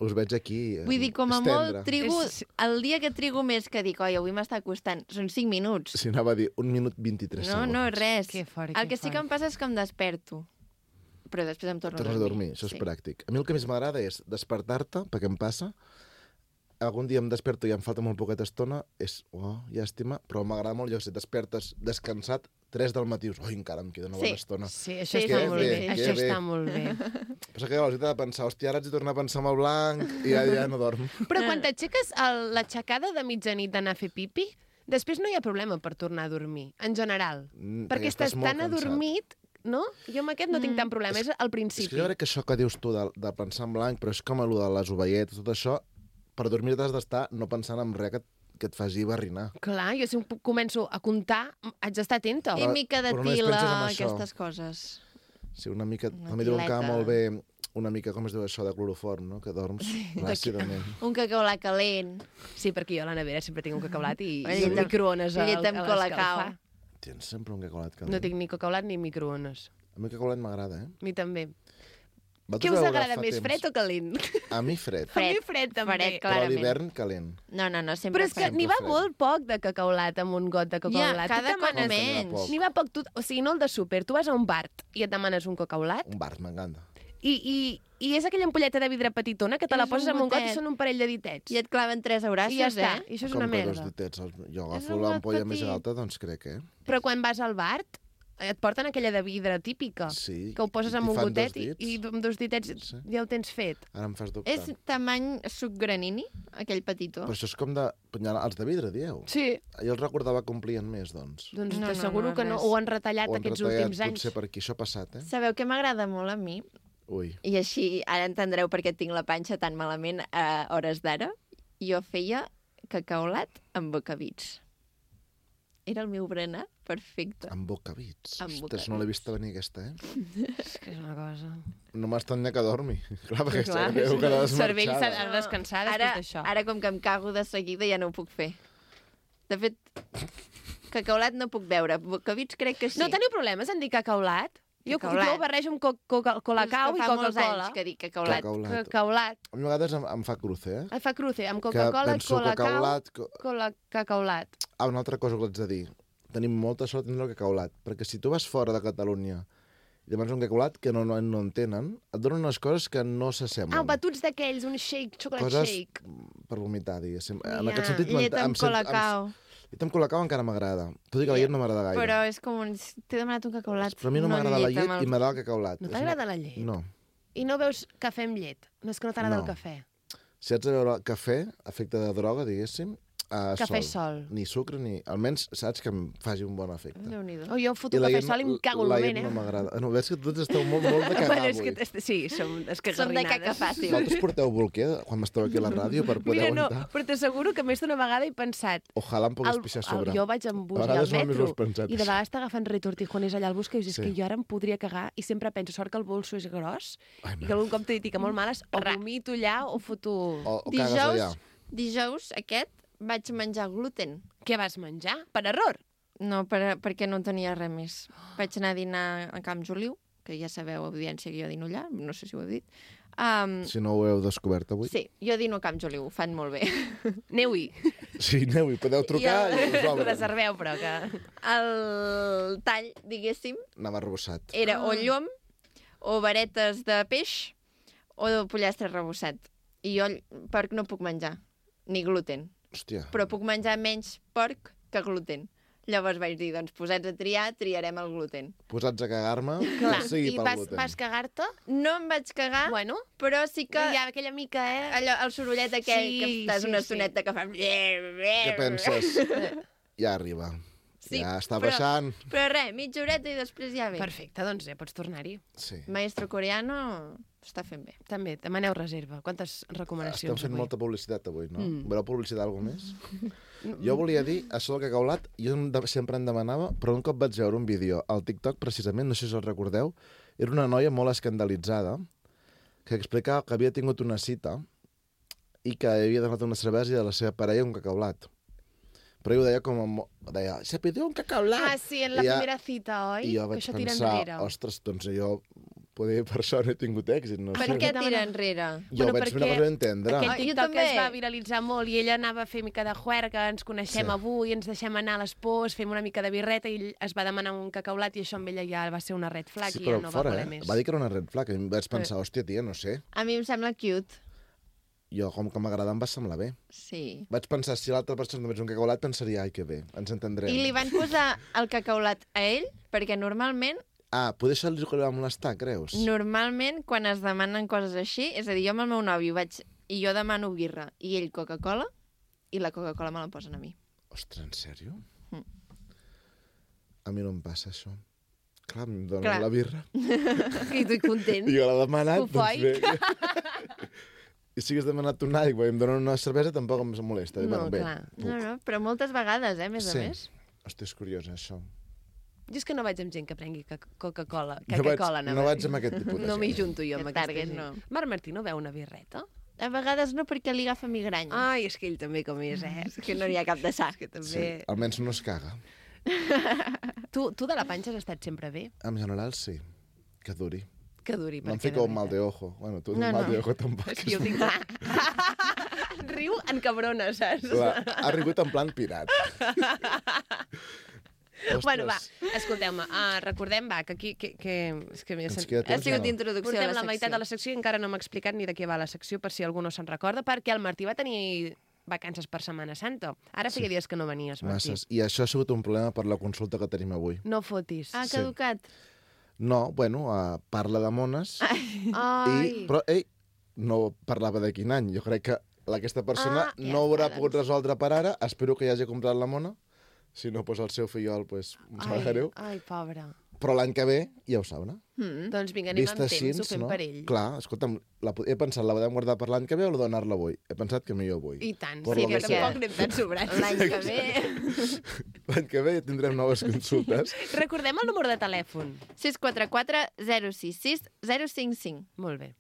Us veig aquí eh, vull dir, com a estendre. molt trigo... És- El dia que trigo més que dic, oi, avui m'està costant, són cinc minuts. Si anava a dir un minut vint-i-tres No, segons. no, res. Que fort, El que que sí que fort. em passa és que em desperto. Però després em torno Tornes a a dormir. dormir, això és Sí. pràctic. A mi el que més m'agrada és despertar-te, perquè em passa, algun dia em desperto i em falta molt poqueta estona, és, oh, llàstima, però m'agrada molt, jo sé, despertes descansat, tres del matí, dius, oi, encara em queda una bona Sí. estona. Sí, això Sí, està sí, molt sí, bé. sí. Això Que bé. està molt bé. Però que llavors he de pensar, hòstia, ara haig de tornar a pensar en el blanc i ja, ja no dorm. Però quan t'aixeques a l'aixecada de mitjanit d'anar a fer pipi, després no hi ha problema per tornar a dormir, en general. Mm, perquè estàs molt tan cansat. adormit, no? Jo amb aquest no tinc tant problema, és al És principi. que jo crec que això que dius tu de, de pensar en blanc, però és com allò de les ovelletes, tot això, per dormir t'has d'estar no pensant en res que, que et faci barrinar. Clar, jo si em pu- començo a comptar, haig d'estar atenta. I mica de Però només tila, penses en això. aquestes coses. Sí, una mica... Una També diuen que va tileta. molt bé una mica, com es diu això, de cloroform, no? Que dorms ràcidament. Un cacaulat calent. Sí, perquè jo a la nevera sempre tinc un cacaulat i, Una i un llet amb- microones a, llet amb a colacao. l'escalfar. Tens sempre un cacolat calent. No tinc ni cacaulat ni microones. A mi el cacolat m'agrada, eh? A mi també. Vosaltres Què us vau agrada agafar més, temps? fred o calent? A mi fred, A mi fred també. Fred, però a clarament. l'hivern calent. No, no, no, sempre Però és que fred. n'hi va fred. molt poc de cacaulat amb un got de Ja, cacaulat. cada Tu cop demanes- menys. poc. N'hi va poc, tu, o sigui, no el de súper. Tu vas a un bar i et demanes un cacaulat Un bar, m'encanta. i, i, i és aquella ampolleta de vidre petitona que te la És poses un amb un got i gotet. són un parell de ditets. I et claven tres aurassos, I ja està. eh? I això és com una que dos merda. ditets. el- Jo És agafo un l'ampolla got més petit. alta, doncs crec, eh? Però quan vas al bar et porten aquella de vidre típica, Sí. que ho poses i amb t'hi un fan gotet dos i, dits. i amb dos ditets Sí. ja ho tens fet. Ara em fas dubtar. És tamany suc granini, aquell petitó? Però això és com de... Els de vidre, dieu. Sí. Jo els recordava que omplien més, doncs. Doncs No, no, t'asseguro no, que no. res. Ho han retallat Ho han aquests retallat, últims anys. Potser per aquí, això ha passat, eh? Sabeu què m'agrada molt a mi? Ui. I així ara entendreu per què tinc la panxa tan malament a hores d'ara. Jo feia cacaulat amb bocabits. Era el meu berenar perfecte. Amb bocabits. Amb Ostres, bocabits. no l'he vista venir, aquesta, eh? És que és una cosa... No m'estranya que dormi. Clar, perquè Clar, està veu que el cervell s'ha desmarxada. de descansar després Ara, d'això. ara, com que em cago de seguida, ja no ho puc fer. De fet, cacaulat no puc veure. Bocabits crec que sí. No teniu problemes en dir cacaulat? Jo, Cacaulat. jo ho barrejo amb co co colacau i Fa molts Coca-Cola. anys que dic cacaulat. Cacaulat. Cacaulat. A mi a vegades em, em fa cruce, eh? Et fa cruce, amb Que Coca-Cola, penso colacau, cacaulat... Co... cola, cacaulat. Ah, una altra cosa que l'haig de dir. Tenim molta sort de tenir el cacaulat, perquè si tu vas fora de Catalunya i demanes un cacaulat que no, no, no en tenen, et donen unes coses que no s'assemblen. Ah, batuts d'aquells, un shake, chocolate Coses shake. per vomitar, diguéssim. En Ja. aquest sentit... Llet m'ent- amb em sent- em- colacau. Llet amb colacau encara m'agrada. Tot i que la llet no m'agrada gaire. Però és com un... T'he demanat un cacaulat. Però a mi no m'agrada la llet amb el- i m'agrada el cacaulat. No És t'agrada una- la llet? No. I no veus cafè amb llet? No és que no t'agrada No. el cafè? Si haig de beure cafè, efecte de droga, diguéssim, uh, Cafè sol. sol. Ni sucre, ni... Almenys saps que em faci un bon efecte. Déu-n'hi-do. O jo foto I la cafè llet sol i em cago en la el llet moment, no eh? m'agrada. No, veig que tots esteu molt, molt de cagar Bueno, és avui. que, est- sí, som Som de escagarrinades. caca fàcil. Vosaltres porteu bolquer quan esteu aquí a la ràdio per poder Mira, no, aguantar? però t'asseguro que més d'una vegada he pensat... Ojalà em pogués El, pixar a el, sobre. jo vaig amb bus A i al vegades només ho metro has pensat. i de vegades t'agafen retortijones allà al bus que dius, és Sí. que jo ara em podria cagar i sempre penso, sort que el bolso és gros Ai, i que algun cop t'he dit que molt males, o Ra. vomito allà o foto... O, o cagues allà. Dijous, dijous aquest vaig menjar gluten. Què vas menjar? Per error? No, per, perquè no tenia res més. Vaig anar a dinar a Camp Joliu, que ja sabeu, audiència, que jo dino allà, no sé si ho he dit. Um, Si no ho heu descobert avui. sí, jo dino a Camp Joliu, ho fan molt bé. Aneu-hi. Sí, aneu-hi, podeu trucar i, I el- us obren. Reserveu, però que... El tall, diguéssim, Anava arrebossat. era o llom, o varetes de peix, o de pollastre rebossat. I jo porc no puc menjar, ni gluten. Hòstia. Però puc menjar menys porc que gluten. Llavors vaig dir, doncs posats a triar, triarem el gluten. Posats a cagar-me, Clar, que sigui i pel vas, gluten. vas cagar-te? No em vaig cagar, Bueno, però sí que... hi ha aquella mica, eh? Allò, el sorollet aquell Sí, que estàs sí, una sí. estoneta que fa... Què penses? Ja arriba. Sí, ja està però- baixant. Però res, mitja horeta i després ja ve. Perfecte, doncs ja pots tornar-hi. Sí. Maestro coreano està fent bé. També, demaneu reserva. Quantes Estem recomanacions fent avui? molta publicitat avui, no? Mm. Voleu publicitar alguna més? Jo volia dir, això del cacaulat, jo em de- sempre em demanava, però un cop vaig veure un vídeo al TikTok, precisament, no sé si el recordeu, era una noia molt escandalitzada que explicava que havia tingut una cita i que havia donat una cervesa i de la seva parella un cacaulat. Però ell ho deia com... a mo- Deia, se pidió un cacaulat! Ah, sí, en la I ja- primera cita, oi? I jo que vaig això tira pensar, enrere. ostres, doncs jo, poder per això no he tingut èxit, no Per sé. què tira enrere? Jo Bueno, vaig fer una perquè cosa d'entendre. Aquell Ah, jo TikTok també. es va viralitzar molt i ella anava a fer mica de juerga, ens coneixem Sí. avui, ens deixem anar a les pors, fem una mica de birreta i ell es va demanar un cacaulat i això amb ella ja va ser una red flag Sí, i ja però no fora, va voler eh? més. Va dir que era una red flag. I em vaig pensar, hòstia, tia, no sé. A mi em sembla cute. Jo, com que m'agrada, em va semblar bé. Sí. Vaig pensar, si l'altra persona només un cacaulat, pensaria, ai, que bé, ens entendrem. I li van posar el cacaulat a ell, perquè normalment, Ah, poder això li va molestar, creus? normalment, quan es demanen coses així, és a dir, jo amb el meu nòvio vaig... I jo demano birra, i ell Coca-Cola, i la Coca-Cola me la posen a mi. Ostres, en sèrio? Mm. A mi no em passa això. Clar, em donen Clar. la birra. I tu content. I jo l'he demanat, doncs bé. Cofoic. I si hagués demanat un Nike i em donen una cervesa, tampoc em molesta. Dic, No, bueno, bé, clar. puc. No, no, però moltes vegades, eh, més Sí. a més. Hòstia, és curiós, això. Jo és que no vaig amb gent que prengui ca- Coca-Cola. No vaig, Coca-Cola, no vaig amb aquest tipus de No m'hi gent. junto jo amb Que aquesta target, gent. no. Marc Martí no veu una birreta? A vegades no, perquè li agafa migranya. Ai, és que ell també com és, eh? És que no n'hi ha cap de sa. És que Sí, també... almenys no es caga. Tu, tu de la panxa has estat sempre bé? En general, sí. Que duri. Que duri. No em perquè fico de un mal veritat. de ojo. Bueno, tu No, un mal no. de ojo tampoc. És que jo tinc... Riu en cabrona, saps? Clar, ha rigut en plan pirat. Ostres. Bueno, va, escolteu-me, uh, recordem, va, que aquí... Que, que, és que m'he Ens sent... queda Ha temps, sigut o no? introducció a Portem la la, secció. meitat de la secció i encara no m'ha explicat ni de què va la secció, per si algú no se'n recorda, perquè el Martí va tenir vacances per Setmana Santa. Ara feia dies que no venies, Martí. Masses. I això ha sigut un problema per la consulta que tenim avui. No fotis. Ah, Sí. caducat. No, bueno, uh, parla de mones, Ai. i, però ell no parlava de quin any. Jo crec que aquesta persona Ah, ja no ho haurà està, pogut resoldre per ara. Espero que ja hagi comprat la mona. Si no, doncs el seu fillol, doncs, em sap ai, greu. ai, pobre. Però l'any que ve ja ho sabrà. Mm. Doncs vinga, anem amb Vist temps, ho fem no? per ell. Clar, escolta'm, la, he pensat, la podem guardar per l'any que ve o la donar-la avui? He pensat que millor avui. I tant, Por sí, lo que que sea. tampoc anem tan sobrats. L'any que ve... L'any que ve ja tindrem noves consultes. Recordem el número de telèfon. sis quatre quatre zero sis sis zero cinc cinc. Molt bé.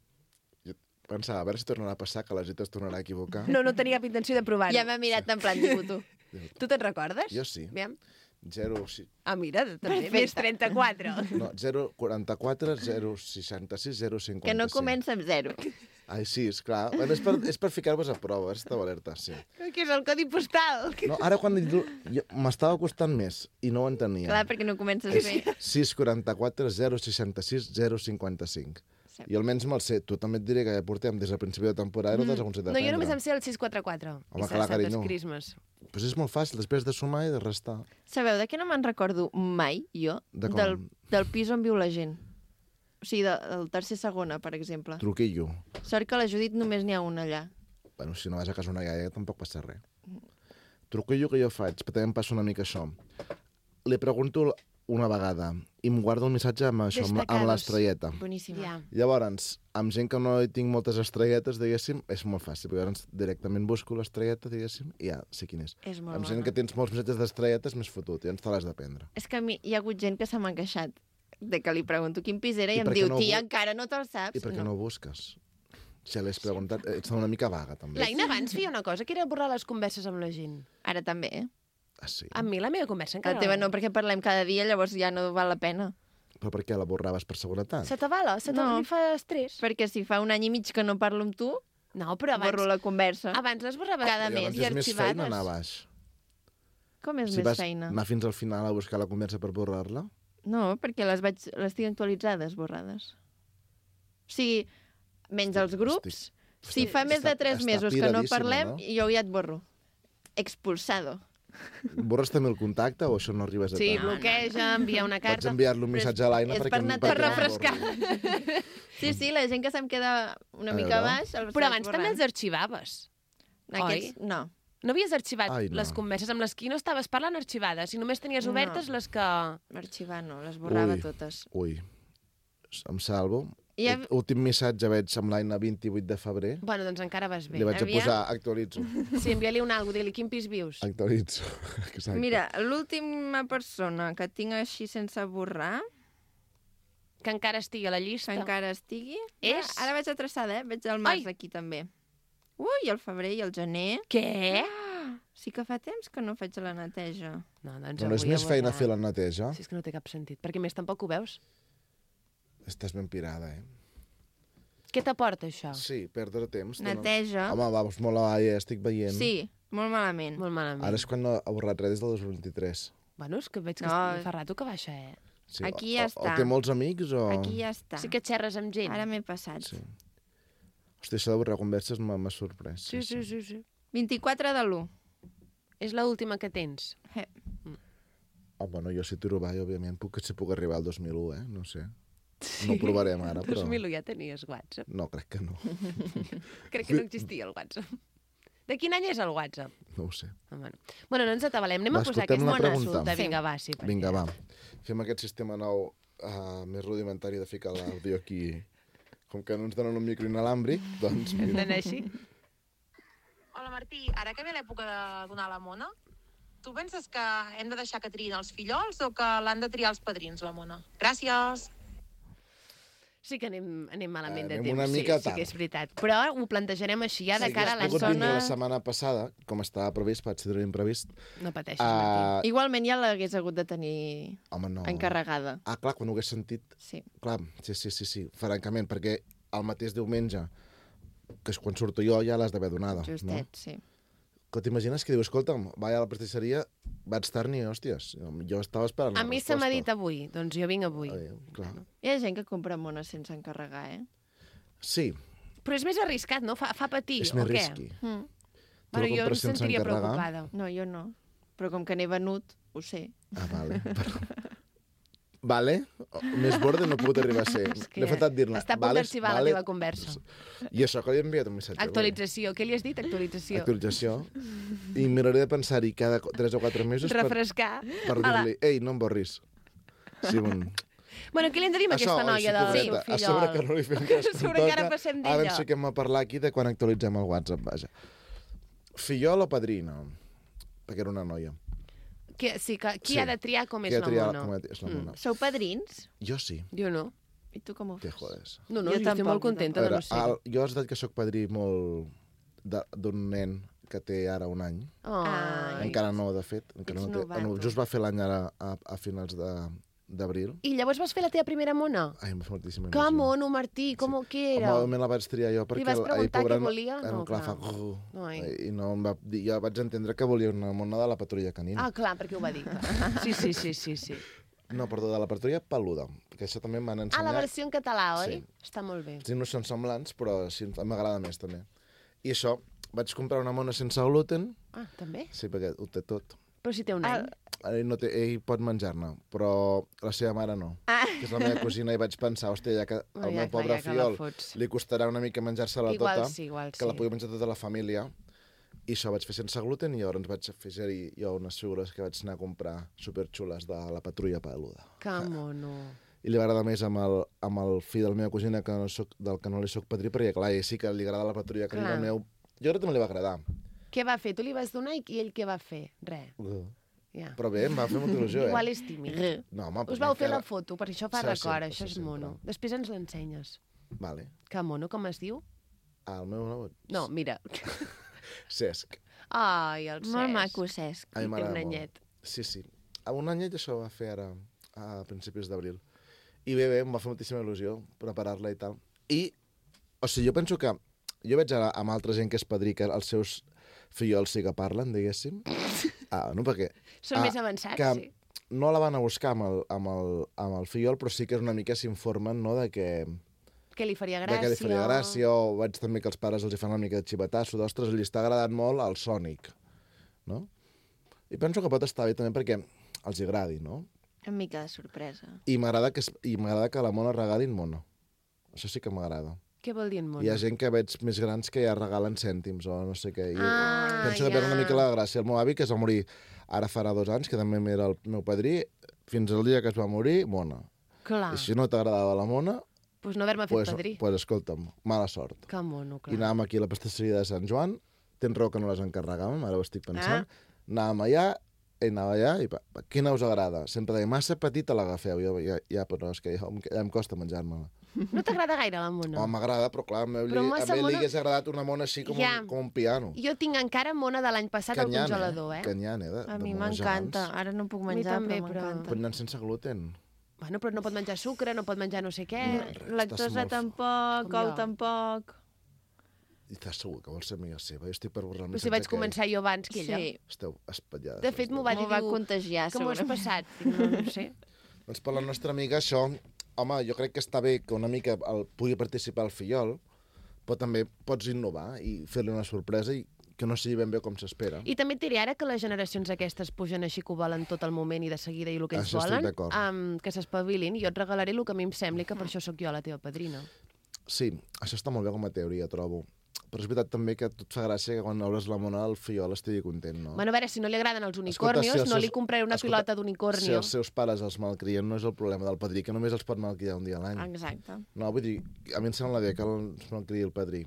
Jo pensava, a veure si tornarà a passar, que la Gita es tornarà a equivocar. No, no tenia cap intenció de provar-ho. Ja m'ha mirat en plan, digo tu. Tu te'n recordes? Jo sí. Aviam. zero... si- Ah, mira, també, Perfecte. més trenta-quatre. No, zero quaranta-quatre zero seixanta-sis zero cinquanta-cinc. Que no comença amb zero. Ai, sí, esclar. Bueno, és per, és per ficar-vos a prova, estava alerta, sí. Que és el codi postal. No, ara quan jo- jo- m'estava costant més i no ho entenia. Clar, perquè no comences bé. sis quaranta-quatre zero seixanta-sis zero cinquanta-cinc. Sí. I almenys me'l sé. Tu també et diré que ja portem des del principi de temporada i no te'ls aconsellat No, jo només em sé el sis quatre-quatre. Home, I clar, Santes carinyo. Christmas. Pues és molt fàcil, després de sumar i de restar. Sabeu de què no me'n recordo mai, jo? De com? Del, del pis on viu la gent. O sigui, de, del tercer segona, per exemple. Truquillo. Sort que a la Judit només n'hi ha una allà. Bueno, si no vas a casa una iaia tampoc passa res. Truquillo que jo faig, però també em passa una mica això. Li pregunto una vegada i em guardo el missatge amb això, amb, la- amb Destacados. l'estrelleta. Boníssima. Ja. Llavors, amb gent que no hi tinc moltes estrelletes, diguéssim, és molt fàcil, perquè llavors directament busco l'estrelleta, diguéssim, i ja sé quin és. És molt Amb bona. gent que tens molts missatges d'estrelletes, més fotut, i llavors te l'has de prendre. És que a mi hi ha hagut gent que se m'ha queixat de que li pregunto quin pis era i, I em per què diu, no tia, bu- encara no te'l saps? I per què no ho busques? Si l'has preguntat, ets una mica vaga, també. L'Aina abans feia una cosa, que era borrar les converses amb la gent. Ara també, eh? Ah, sí? Amb mi la meva conversa encara... La teva no, perquè parlem cada dia, llavors ja no val la pena. Però per què la borraves per seguretat? Se t'avala? Se No. no. fa estrès? Perquè si fa un any i mig que no parlo amb tu, No, però abans... borro la conversa. Abans les borraves Cada I mes. llavors i és més feina anar a arxivades. baix. Com és Si més vas feina? anar fins al final a buscar la conversa per borrar-la, No, perquè les vaig, les tinc actualitzades, borrades. O sigui, menys els grups, si fa més de està- tres està mesos que no piradíssima, parlem, no? jo ja et borro. Expulsado. borres també el contacte o això no arribes a Sí, tant? bloqueja, envia una Vaig carta... enviar-li un missatge a l'Aina és perquè... per em- anar- perquè per no em refrescar. borri. Sí, sí, la gent que se'm queda una A mica veure. baix... Els Però vaig abans també els borrant. arxivaves. Aquests, no. No havies arxivat Ai, no. les converses amb les qui no estaves parlant arxivades i només tenies No. obertes les que... Arxivar no, les borrava Ui. totes. Ui, em salvo. I ja- Ú- Últim missatge veig amb l'Aina vint-i-vuit de febrer. Bueno, doncs encara vas bé. Li vaig a aviam. posar actualitzo. Sí, envia-li un algo, di-li quin pis vius. Actualitzo. Exacte. Mira, l'última persona que tinc així sense borrar, Que encara estigui a la que llista. encara estigui... És? Ara vaig atraçada, eh? Veig el març Ai. aquí també. Ui, el febrer i el gener. Què? Sí que fa temps que no faig la neteja. No, doncs No, no és avui més a feina borrar. fer la neteja? Sí, és que no té cap sentit. Perquè a més tampoc ho veus. Estàs ben pirada, eh? Què t'aporta això? Sí, perdre temps. que no- Neteja. Home, vamos, molt a ja estic veient. Sí, molt malament. Molt malament. Ara és quan no ha borrat res des del dos mil vint-i-tres. Bueno, és que veig que No. no. fa rato que baixa, eh? Sí, Aquí o- ja o, està. O té molts amics o... Aquí ja està. Sí que xerres amb gent. Ara m'he passat. Sí. Hòstia, això de borrar converses m'ha m'ha sorprès. Sí, sí, sí, sí. vint-i-quatre de l'u. És l'última que tens. Oh, bueno, jo si tiro avall, òbviament, puc, si puc arribar al dos mil u, eh? No sé. No ho provarem ara, però... dos mil u ja tenies WhatsApp. No, crec que no. Crec que no existia el WhatsApp. De quin any és el WhatsApp? No ho sé. Ah, bueno. bueno, no ens atabalem. Anem Va, a posar escoltem aquesta la pregunta. consulta. Sí. Vinga, va, sí. perquè- Vinga, va. Fem aquest sistema nou uh, més rudimentari de ficar l'àudio aquí. Com que no ens donen un micro inalàmbric, doncs... Hem Mira. d'anar així? Hola Martí, ara que ve l'època de donar la mona, tu penses que hem de deixar que triïn els fillols o que l'han de triar els padrins, la mona? Gràcies! Sí que anem, anem malament de Anem temps, una sí, mica sí tard. que és veritat. Però ho plantejarem així, ja de Sí, cara a has la pogut vindre zona... la setmana passada, com estava previst, vaig ser imprevist. No pateixis, Martí. Uh, Igualment ja l'hagués hagut de tenir home, no. encarregada. Ah, clar, quan ho hagués sentit... Sí. Clar, sí, sí, sí, sí, francament, perquè el mateix diumenge, que és quan surto jo, ja l'has d'haver donada. Justet, No? sí. Que t'imagines que diu, escolta'm, vaig a la pastisseria, vaig tard-n'hi, hòsties. Jo estava esperant A la mi se resposta. m'ha dit avui, doncs jo vinc avui. Ai, clar. Hi ha gent que compra mones sense encarregar, eh? Sí, Però és més arriscat, no? Fa, fa patir, és o més què? risky. Mm. Tu Bueno, la jo em compres sense sentiria encarregar? preocupada. No, jo no. Però com que n'he venut, ho sé. Ah, vale. Però... Vale? O- Més borde no he pogut arribar a ser. És que M'he faltat dir-ne. està a punt vale, d'arxivar vale. la teva conversa. I això que li he enviat un missatge. Actualització. Què li has dit? Actualització. Actualització. I miraré de pensar-hi cada tres o quatre mesos per, Refrescar. per dir-li, ei, no em borris. Sí, un... Bueno, què li hem de dir a Això, aquesta oi, noia sí, del pobreta, seu a sobre que fillol? no li fem cas. A sobre que ara passem Ara d'ella. ens fiquem a parlar aquí de quan actualitzem el WhatsApp, vaja. Fillol o padrina? Perquè era una noia. Que, sí, que, qui Sí. ha de triar com Qui és ha la triat mona? com és la mona? Sou padrins? Jo sí. Jo no. I tu com ho Te fas? jodes. No, no, Jo jo, estic tampoc, molt jo contenta A de veure, no ser. el, jo és veritat que sóc padrí molt de- d'un nen que té ara un any. Ai. Encara no, de fet. Encara Ets no té, novato. no, just va fer l'any ara a, a finals de d'abril. I llavors vas fer la teva primera mona? Ai, em fa moltíssima Que mono, Martí, com què era? Home, me la vaig triar jo perquè... Li vas el- preguntar ahir, què volia? No, No, clar, clar. fa... grrr, Ai. I no em va dir, jo vaig entendre que volia una mona de la patrulla canina. Ah, clar, perquè ho va dir. Sí, sí, sí, sí, sí. No, perdó, de la patrulla peluda, perquè això també m'han Ah, ensenyat. la versió en català, oi? Sí. Està molt bé. Sí, no són semblants, però sí, m'agrada més també. I això, vaig comprar una mona sense gluten, Ah, també? sí, perquè ho té tot. Però si té un any. Ell, no té, ell pot menjar-ne, però la seva mare no. Ah. Que és la meva cosina, i vaig pensar, hòstia, ja que No, al ja, meu clar, pobre ja que la fiol fots. li costarà una mica menjar-se-la Igual tota, sí, igual que la sí. pugui menjar tota la família. I això vaig fer sense gluten i llavors vaig fer jo unes figures que vaig anar a comprar superxules de la patrulla peluda. Que mono. I li va agradar més amb el, amb el fill de la meva cosina que no soc, del que no li soc padrí, perquè clar, ell sí que li agrada la patrulla canina Clar. al meu. Jo crec que també li va agradar. Què va fer? Tu li vas donar i i ell què va fer? Res. Ja. Però bé, em va fer molta il·lusió, eh? Igual és tímid. No, home, Us perquè vau fer la encara- foto, per això fa Serà record, sempre, això és serà mono. sempre. Després ens l'ensenyes. Vale. Que mono, com es diu? Ah, el meu nebot. No, mira. Cesc. Ai, el Cesc. Molt maco, Cesc. A mi I té m'agrada un molt. anyet. Sí, sí. A un anyet això va fer ara, a principis d'abril. I bé, bé, em va fer moltíssima il·lusió preparar-la i tal. I, o sigui, jo penso que... Jo veig ara amb altra gent que és padrí, que els seus fillols sí que parlen, diguéssim. Ah, no, perquè... Són ah, més avançats, que sí. no la van a buscar amb el, amb, el, amb el fillol, però sí que és una mica s'informen, no?, de que... Que li faria De gràcia. que li faria gràcia, o veig també que els pares els hi fan una mica de xivatasso, d'ostres, li està agradant molt el Sonic, no? I penso que pot estar bé també perquè els hi agradi, no? Una mica de sorpresa. I m'agrada que, es- i m'agrada que a la mona regalin mona. Això sí que m'agrada. Què vol dir en mono? Hi ha gent que veig més grans que ja regalen cèntims o no sé què. I Ah, penso que ja. perd una mica la gràcia. El meu avi, que es va morir ara farà dos anys, que també era el meu padrí, fins al dia que es va morir, mona. Clar, I si no t'agradava la mona, pues no haver-me fet pues, padrí. pues escolta'm, mala sort. Que mono, clar. I anàvem aquí a la pastisseria de Sant Joan, tens raó que no les encarregàvem, ara ho estic pensant, anàvem allà, ell anava allà, i pa, pa, quina us agrada? Sempre deia, massa petita l'agafeu, jo, ja, ja, però és que ja, em- ja em costa menjar-me-la. No t'agrada gaire la mona? Home, m'agrada, però clar, a mi, Però a massa mi li mona- hagués agradat una mona així com, Ja. un, com un piano. Jo tinc encara mona de l'any passat al congelador, eh? Canyant, eh? De, A de mi mones m'encanta. gegants. Ara no puc mi menjar, també, però però- m'encanta. Però anant sense gluten. Bueno, però no pot menjar sucre, no pot menjar no sé què. Estàs Lactosa molt- tampoc, Com ou jo. tampoc. I estàs segur que vols ser amiga seva? Jo estic per borrar el Però si vaig començar jo abans que ella. Sí, Esteu espatllades. De fet, m'ho va dir, m'ho va diu, contagiar, com ho has segurament. passat? Dic, no, no ho sé. Doncs per la nostra amiga això, home, jo crec que està bé que una mica el, pugui participar el fillol, però també pots innovar i fer-li una sorpresa i que no sigui ben bé com s'espera. I també et diré ara que les generacions aquestes pugen així que ho volen tot el moment i de seguida i el que ells Això estic volen, d'acord. um, que s'espavilin, jo et regalaré el que a mi em sembli, que per això sóc jo la teva padrina. Sí, això està molt bé com a teoria, trobo. Però és veritat també que a tu et fa gràcia que quan obres la mona el fillol estigui content, no? Bueno, a veure, si no li agraden els Escolta, unicornios, si els no seus- li compraré una escolta, pilota Si d'unicornio. els seus pares els malcrien no és el problema del padrí, que només els pot malcriar un dia a l'any. Exacte. No, vull dir, a mi em sembla bé que els malcriï el padrí.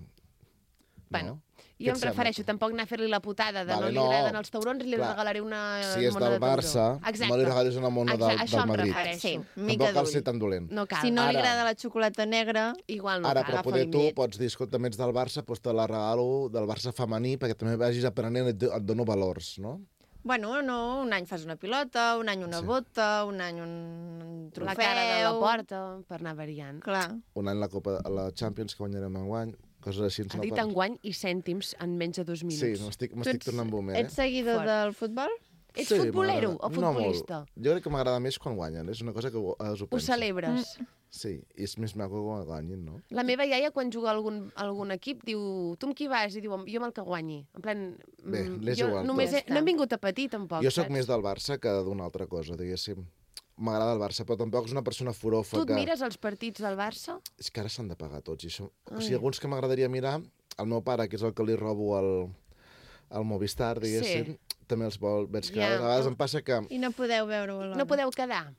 Bueno, Què jo et em sembla? refereixo tampoc anar a fer-li la putada de Vale, no li no. agraden els taurons, li Clar, regalaré una Si és mona del de tauró. Barça, Exacte. no li regalis una mona del, Exacte, això del em Madrid. refereixo. Sí, Tampoc mica cal d'ull. ser tan dolent. No cal. Si no li Ara- agrada la xocolata negra, Igual no Ara, cal, però agafa poder tu límit. pots dir, escolta, ets del Barça, doncs te la regalo del Barça femení perquè també vagis aprenent i et, et dono valors, no? bueno, no, un any fas una pilota, un any una Sí. bota, un any un trofeu... La cara de la porta, per anar variant. Clar. Un any la Copa, la Champions que guanyarem enguany, coses així. ens Ha no dit per- enguany i cèntims en menys de dos minuts. Sí, m'estic m'estic ets- tornant boomer, eh? Ets seguidor Fort. del futbol? Ets Sí, futbolero m'agrada. o futbolista? No molt. Jo crec que m'agrada més quan guanyen, és una cosa que ho, ho Ho penso. celebres? Sí, i és més maco quan guanyin, no? La meva iaia, quan juga a algun, a algun equip, diu, tu amb qui vas? I diu, jo amb el que guanyi. En plan, Bé, mm, l'és jo igual, només tot. he, no hem vingut a patir, tampoc, jo sóc saps? més del Barça que d'una altra cosa, diguéssim. M'agrada el Barça, però tampoc és una persona furofa Tu et que... mires els partits del Barça? És que ara s'han de pagar tots. I això... O Ai. sigui, alguns que m'agradaria mirar, el meu pare, que és el que li robo al, al Movistar, diguéssim, Sí. també els vol... Veig que Ja. a vegades em passa que... I no podeu veure-ho alhora. No podeu quedar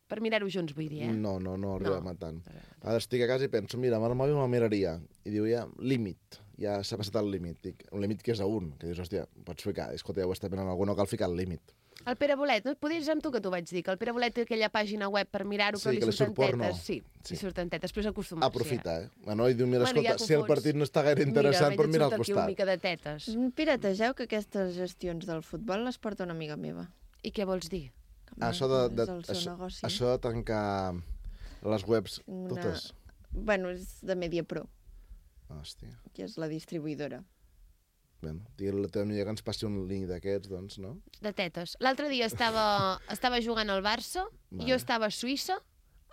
per mirar-ho junts, vull dir, eh? No, no, no arribem No. a tant. Ara estic a casa i penso, mira, amb el mòbil me'l miraria. I diu, ja, límit. Ja s'ha passat el límit. Dic, un límit que és a un. Que dius, hòstia, pots ficar. Escolta, ja ho està mirant algú, no cal ficar el límit. El Pere Bolet, no? Podries amb tu que t'ho vaig dir, que el Pere Bolet té aquella pàgina web per mirar-ho, Sí, però li que li surten surt porno. tetes. Sí, Sí. li surten tetes, però és acostumar-s'hi. Aprofita, eh? Bueno, i diu, mira, Bueno, ja escolta, t'ho si el fots. partit no està gaire interessant, mira, però mira al et surt aquí una costat. mica de tetes. Pirategeu que aquestes gestions del futbol les porta una amiga meva. I què vols dir? Ah, Això de, de, és el seu això, negoci. això de tancar les webs Una- totes. Bueno, és de MediaPro, Hòstia. que és la distribuïdora. Bueno, digue-li a la teva amiga que ens passi un link d'aquests, doncs, no? De tetes. L'altre dia estava, estava jugant al Barça, Vale. jo estava a Suïssa,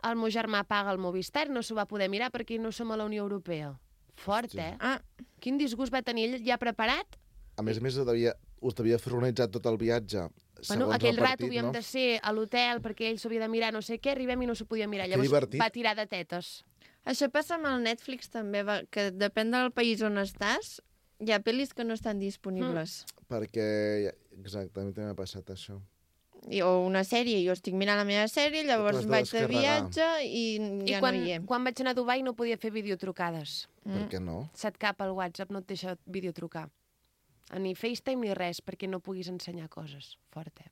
el meu germà paga el Movistar, no s'ho va poder mirar perquè no som a la Unió Europea. Fort, Hòstia. eh? Ah, Quin disgust va tenir ell ja preparat? A més a més, devia, us devia fer organitzar tot el viatge Bueno, segons aquell el rato partit, havíem no? de ser a l'hotel perquè ell s'ho havia de mirar no sé què, arribem i no s'ho podia mirar. Que Llavors divertit. va tirar de tetes. això passa amb el Netflix també, va, que depèn del país on estàs, hi ha pel·lis que no estan disponibles. Perquè, exactament, també m'ha passat això. I, o una sèrie, jo estic mirant la meva sèrie, llavors t'has de vaig de descarregar. viatge i ja I quan, no hi és. quan vaig anar a Dubai no podia fer videotrucades. Mm. Per què no? Se't cap al WhatsApp, no et deixa videotrucar. Ni FaceTime ni res, perquè no puguis ensenyar coses. Fort, eh?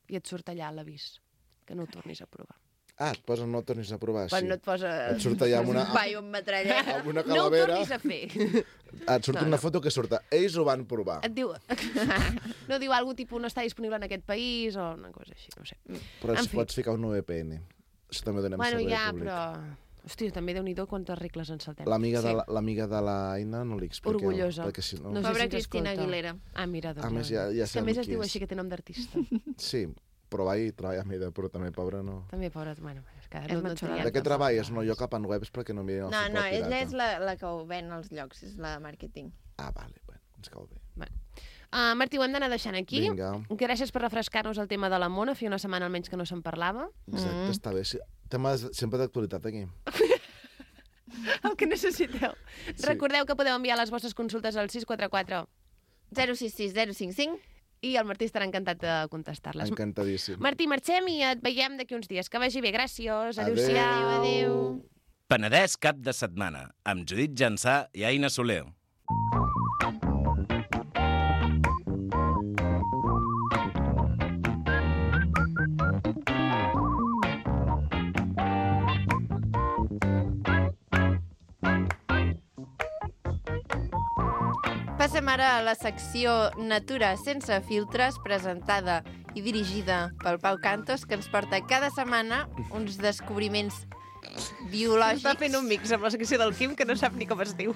I et surt allà l'avís, que no ho tornis a provar. Ah, et posen no ho tornis a provar, Quan sí. no et posa... Et surt allà amb una, Vai, un metrallet. amb una No ho calavera, tornis a fer. et surt No, una no. foto que surt. Ells ho van provar. Et diu... no diu algú tipus no està disponible en aquest país o una cosa així, no sé. Però En si fi. pots ficar un V P N. Això també ho donem Bueno, servei ja, públic. però... Hòstia, també Déu-n'hi-do quantes regles ens saltem. L'amiga Sí. de la- l'amiga de l'Aina no li expliqueu. Orgullosa. Perquè si no... No sé Pobra si ens Cristina escolta. Aguilera. Ah, mira, doncs... A més, ja- ja és que a sabem més es qui diu és. així que té nom d'artista. Sí, però va i treballa amb ella, però també, pobra, no. També, pobra... Bueno, és que És no, no matxolada. triem De què tampoc. treballes? No, jo cap en webs perquè no miren el No, futbol no, ella pirata. és la, la que ho ven als llocs, és la de màrqueting. Ah, vale, bueno, ens cau bé. Uh, Martí, ho hem d'anar deixant aquí. Vinga. Gràcies per refrescar-nos el tema de la mona. Feia una setmana almenys que no se'n parlava. Exacte, Mm. està bé. Sí, temes sempre d'actualitat aquí. El que necessiteu. Sí. Recordeu que podeu enviar les vostres consultes al sis quatre quatre zero sis sis zero cinc cinc. i el Martí estarà encantat de contestar-les. Encantadíssim. Martí, marxem i et veiem d'aquí uns dies. Que vagi bé. Gràcies. Adéu-siau. Adéu. Penedès cap de setmana, amb Judit Jansà i Aina Soler. Passem ara a la secció Natura sense filtres, presentada i dirigida pel Pau Cantos, que ens porta cada setmana uns descobriments biològics. Està fent un mix amb la secció del Quim que no sap ni com es diu.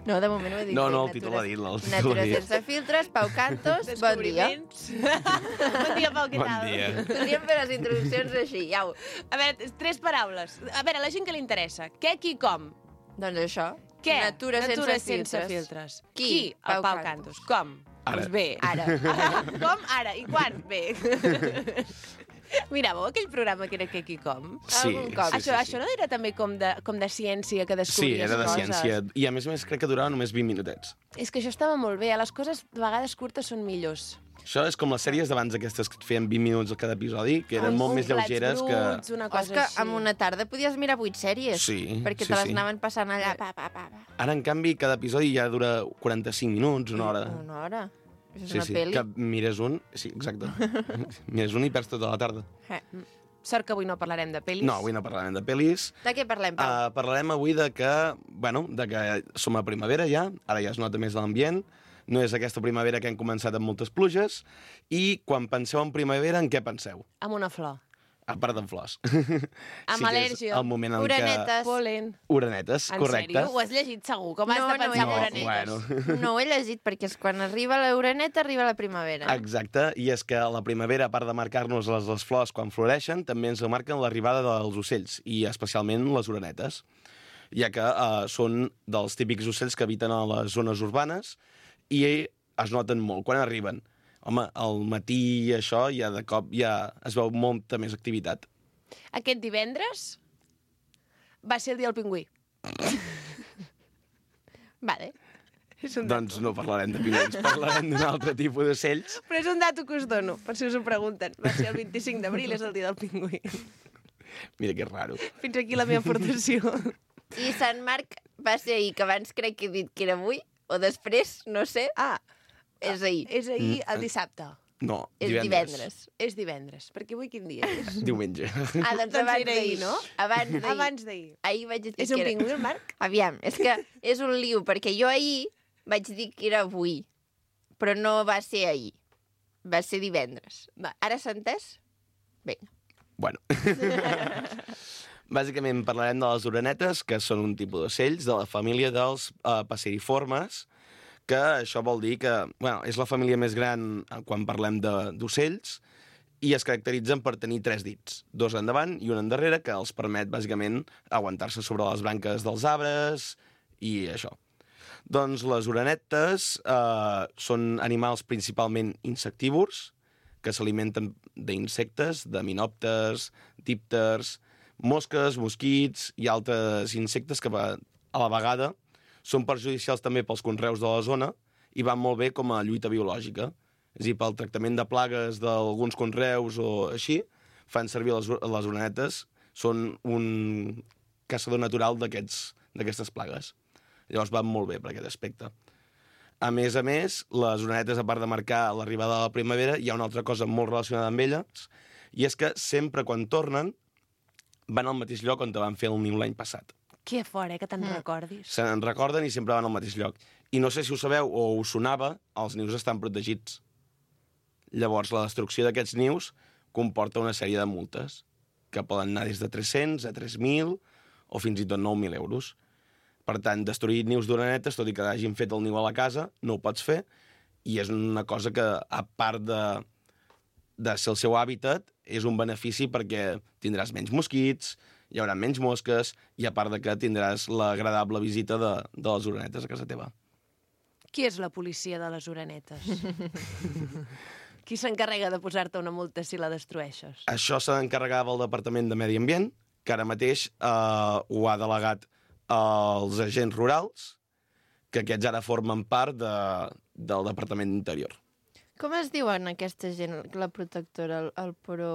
No, de moment ho he dit. No, bé, no, el Natura- títol l'ha dit, el títol Natura l'ha dit. sense filtres, Pau Cantos, bon dia. bon dia, Pau, què Bon tal? dia. Podríem fer les introduccions així, au. A veure, tres paraules. A veure, a la gent que li interessa. Què, qui, com? Doncs això. Què? Natura, Natura sense, sense filtres. filtres. Qui? Qui? El Pau Pau Cantos. Cantos. Com? Ara. Doncs bé. Ara. Ara. Com? Ara. I quan? Bé. Miràveu aquell programa que era Què, qui, com? Sí, Algun cop. sí, això, sí, això no era també com de, com de ciència, que Sí, descobries era de coses? ciència. I a més a més crec que durava només vint minutets. És que això estava molt bé. Les coses de vegades curtes són millors. Això és com les sèries d'abans aquestes que et feien vint minuts a cada episodi, que eren Un- molt un més plats lleugeres que... bruts, una cosa És que així. en una tarda podies mirar vuit sèries. Sí, Perquè sí, te les sí. anaven passant allà. Pa, pa, pa, pa. Ara, en canvi, cada episodi ja dura quaranta-cinc minuts, una hora. Una hora. Això és Sí, una sí, pel·li. que mires un... Sí, exacte. mires un i perds tota la tarda. Eh. Sort que avui no parlarem de pel·lis. No, avui no parlarem de pel·lis. De què parlem, Pau? Uh, parlarem avui de que, bueno, de que som a primavera ja, ara ja es nota més l'ambient, no és aquesta primavera que hem començat amb moltes pluges, i quan penseu en primavera, en què penseu? Amb una flor. A part d'en flors. Amb sí que és al·lèrgia. el moment en Uranetes. Polen. què... Uranetes, En correcte. sèrio? Ho has llegit segur? Com has No, de no pensar he en llegit. uranetes? bueno. No ho he llegit, perquè és quan arriba la uraneta, arriba la primavera. Exacte, i és que la primavera, a part de marcar-nos les, les flors quan floreixen, també ens marquen l'arribada dels ocells, i especialment les uranetes, ja que uh, són dels típics ocells que habiten a les zones urbanes i es noten molt quan arriben. Home, al matí i això, ja de cop ja es veu molta més activitat. Aquest divendres va ser el dia del pingüí. Vale. És un dato. Doncs no parlarem de pingüins, parlarem d'un altre tipus d'ocells. Però és un dato que us dono, per si us ho pregunten. Va ser el vint-i-cinc d'abril, és el dia del pingüí. Mira que raro. Fins aquí la meva aportació. I Sant Marc va ser ahir, que abans crec que he dit que era avui, o després, no sé, Ah, és ahir. és ahir, el dissabte. No, És divendres. divendres. És divendres, perquè avui quin dia és? Diumenge. Ah, doncs Doncs abans era d'ahir, ahir, no? Abans d'ahir. Abans d'ahir. Ahir vaig dir És que un era... pingüí, el Marc? Aviam, és que és un liu, perquè jo ahir vaig dir que era avui, però no va ser ahir. Va ser divendres. Va. Ara s'ha entès? Vinga. Bueno. Bàsicament parlarem de les orenetes, que són un tipus d'ocells de la família dels uh, passeriformes, que això vol dir que bueno, és la família més gran quan parlem d'ocells, i es caracteritzen per tenir tres dits, dos endavant i un endarrere, que els permet, bàsicament, aguantar-se sobre les branques dels arbres i això. Doncs les orenetes eh, són animals principalment insectívors, que s'alimenten d'insectes, de minòpters, dípters, mosques, mosquits i altres insectes que a la vegada són perjudicials també pels conreus de la zona i van molt bé com a lluita biològica. És a dir, pel tractament de plagues d'alguns conreus o així, fan servir les, les orenetes, són un caçador natural d'aquestes plagues. Llavors van molt bé per aquest aspecte. A més a més, les orenetes, a part de marcar l'arribada de la primavera, hi ha una altra cosa molt relacionada amb elles, i és que sempre quan tornen van al mateix lloc on van fer el niu l'any passat. Que fort, eh, que te'n recordis. Se n'en recorden i sempre van al mateix lloc. I no sé si ho sabeu o us sonava, els nius estan protegits. Llavors, la destrucció d'aquests nius comporta una sèrie de multes, que poden anar des de tres-cents a tres mil o fins i tot nou mil euros. Per tant, destruir nius d'orenetes, tot i que hagin fet el niu a la casa, no ho pots fer, i és una cosa que, a part de, de ser el seu hàbitat, és un benefici perquè tindràs menys mosquits, hi haurà menys mosques, i a part de que tindràs l'agradable visita de, de les orenetes a casa teva. Qui és la policia de les orenetes? Qui s'encarrega de posar-te una multa si la destrueixes? Això se n'encarregava el Departament de Medi Ambient, que ara mateix eh, ho ha delegat als agents rurals, que aquests ara formen part de, del Departament d'Interior. Com es diuen aquesta gent, la protectora, el, el pro...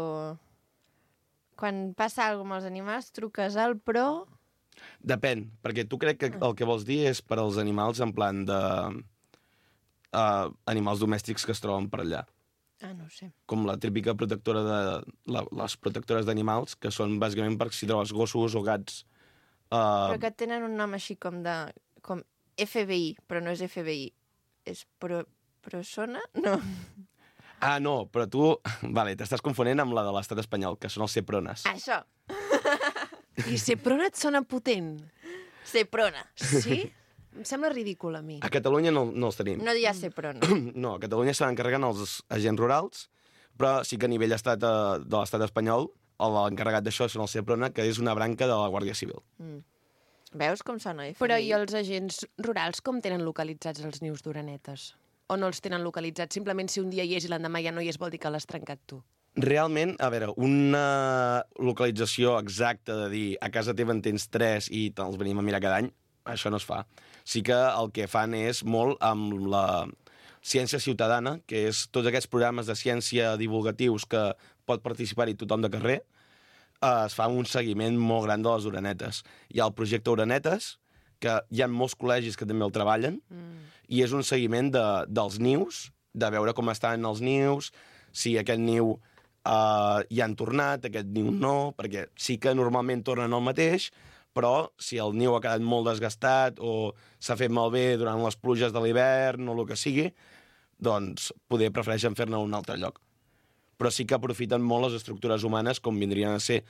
Quan passa alguna cosa amb els animals, truques al pro... Depèn, perquè tu crec que el que vols dir és per als animals en plan de... Uh, animals domèstics que es troben per allà. Ah, no ho sé. Com la típica protectora de... La, les protectores d'animals, que són bàsicament per si trobes gossos o gats. Uh, Però que tenen un nom així com de... com F B I, però no és F B I. És pro... Prosona? No. Ah, no, però tu... Vale, t'estàs confonent amb la de l'estat espanyol, que són els Seprones. Això. I Seprona et sona potent. Seprona. Sí? Em sembla ridícul a mi. A Catalunya no, no els tenim. No hi ha Seprona. No, a Catalunya se n'encarreguen els agents rurals, però sí que a nivell estat, eh, de l'estat espanyol l'encarregat d'això són el Seprona, que és una branca de la Guàrdia Civil. Mm. Veus com sona F B I? Però i els agents rurals com tenen localitzats els nius d'orenetes? O no els tenen localitzats? Simplement si un dia hi és i l'endemà ja no hi és vol dir que l'has trencat tu. Realment, a veure, una localització exacta de dir a casa teva en tens tres i te'ls venim a mirar cada any, això no es fa. Sí que el que fan és molt amb la ciència ciutadana, que és tots aquests programes de ciència divulgatius que pot participar-hi tothom de carrer, eh, es fa un seguiment molt gran de les orenetes. Hi ha el projecte Orenetes, que hi ha molts col·legis que també el treballen, mm. i és un seguiment de, dels nius, de veure com estan els nius, si aquest niu uh, hi han tornat, aquest niu no, perquè sí que normalment tornen al mateix, però si el niu ha quedat molt desgastat o s'ha fet malbé durant les pluges de l'hivern o el que sigui, doncs poder prefereixen fer-ne a un altre lloc. Però sí que aprofiten molt les estructures humanes, com vindrien a ser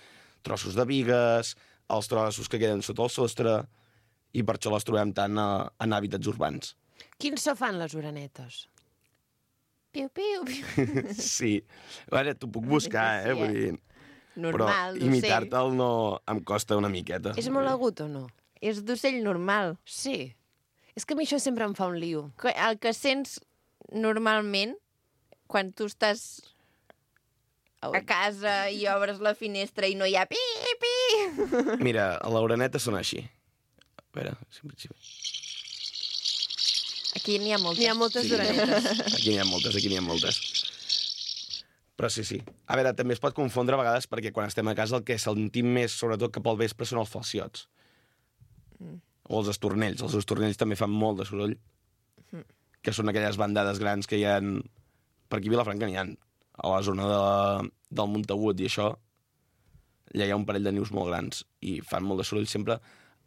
trossos de bigues, els trossos que queden sota el sostre, i per això les trobem tant a, en hàbitats urbans. Quins so fan les orenetes? Piu, piu, piu. Sí. A veure, t'ho puc buscar, eh? Vull dir... Normal, però imitar-te'l no em costa una miqueta. És molt agut o no? És d'ocell normal. Sí. És que a mi això sempre em fa un lío. El que sents normalment, quan tu estàs a casa i obres la finestra i no hi ha pi, pi... Mira, a l'oreneta sona així. A veure, sempre... Aquí n'hi ha moltes. N'hi ha moltes Sí. orenetes. Aquí n'hi ha moltes, aquí n'hi ha moltes. Però sí, sí. A veure, també es pot confondre a vegades perquè quan estem a casa el que sentim més, sobretot cap al vespre, són els falciots. Mm. O els estornells. Els estornells també fan molt de soroll. Mm. Que són aquelles bandades grans que hi ha per aquí a Vilafranca n'hi ha. A la zona de, del Montagut i això, allà hi ha un parell de nius molt grans i fan molt de soroll sempre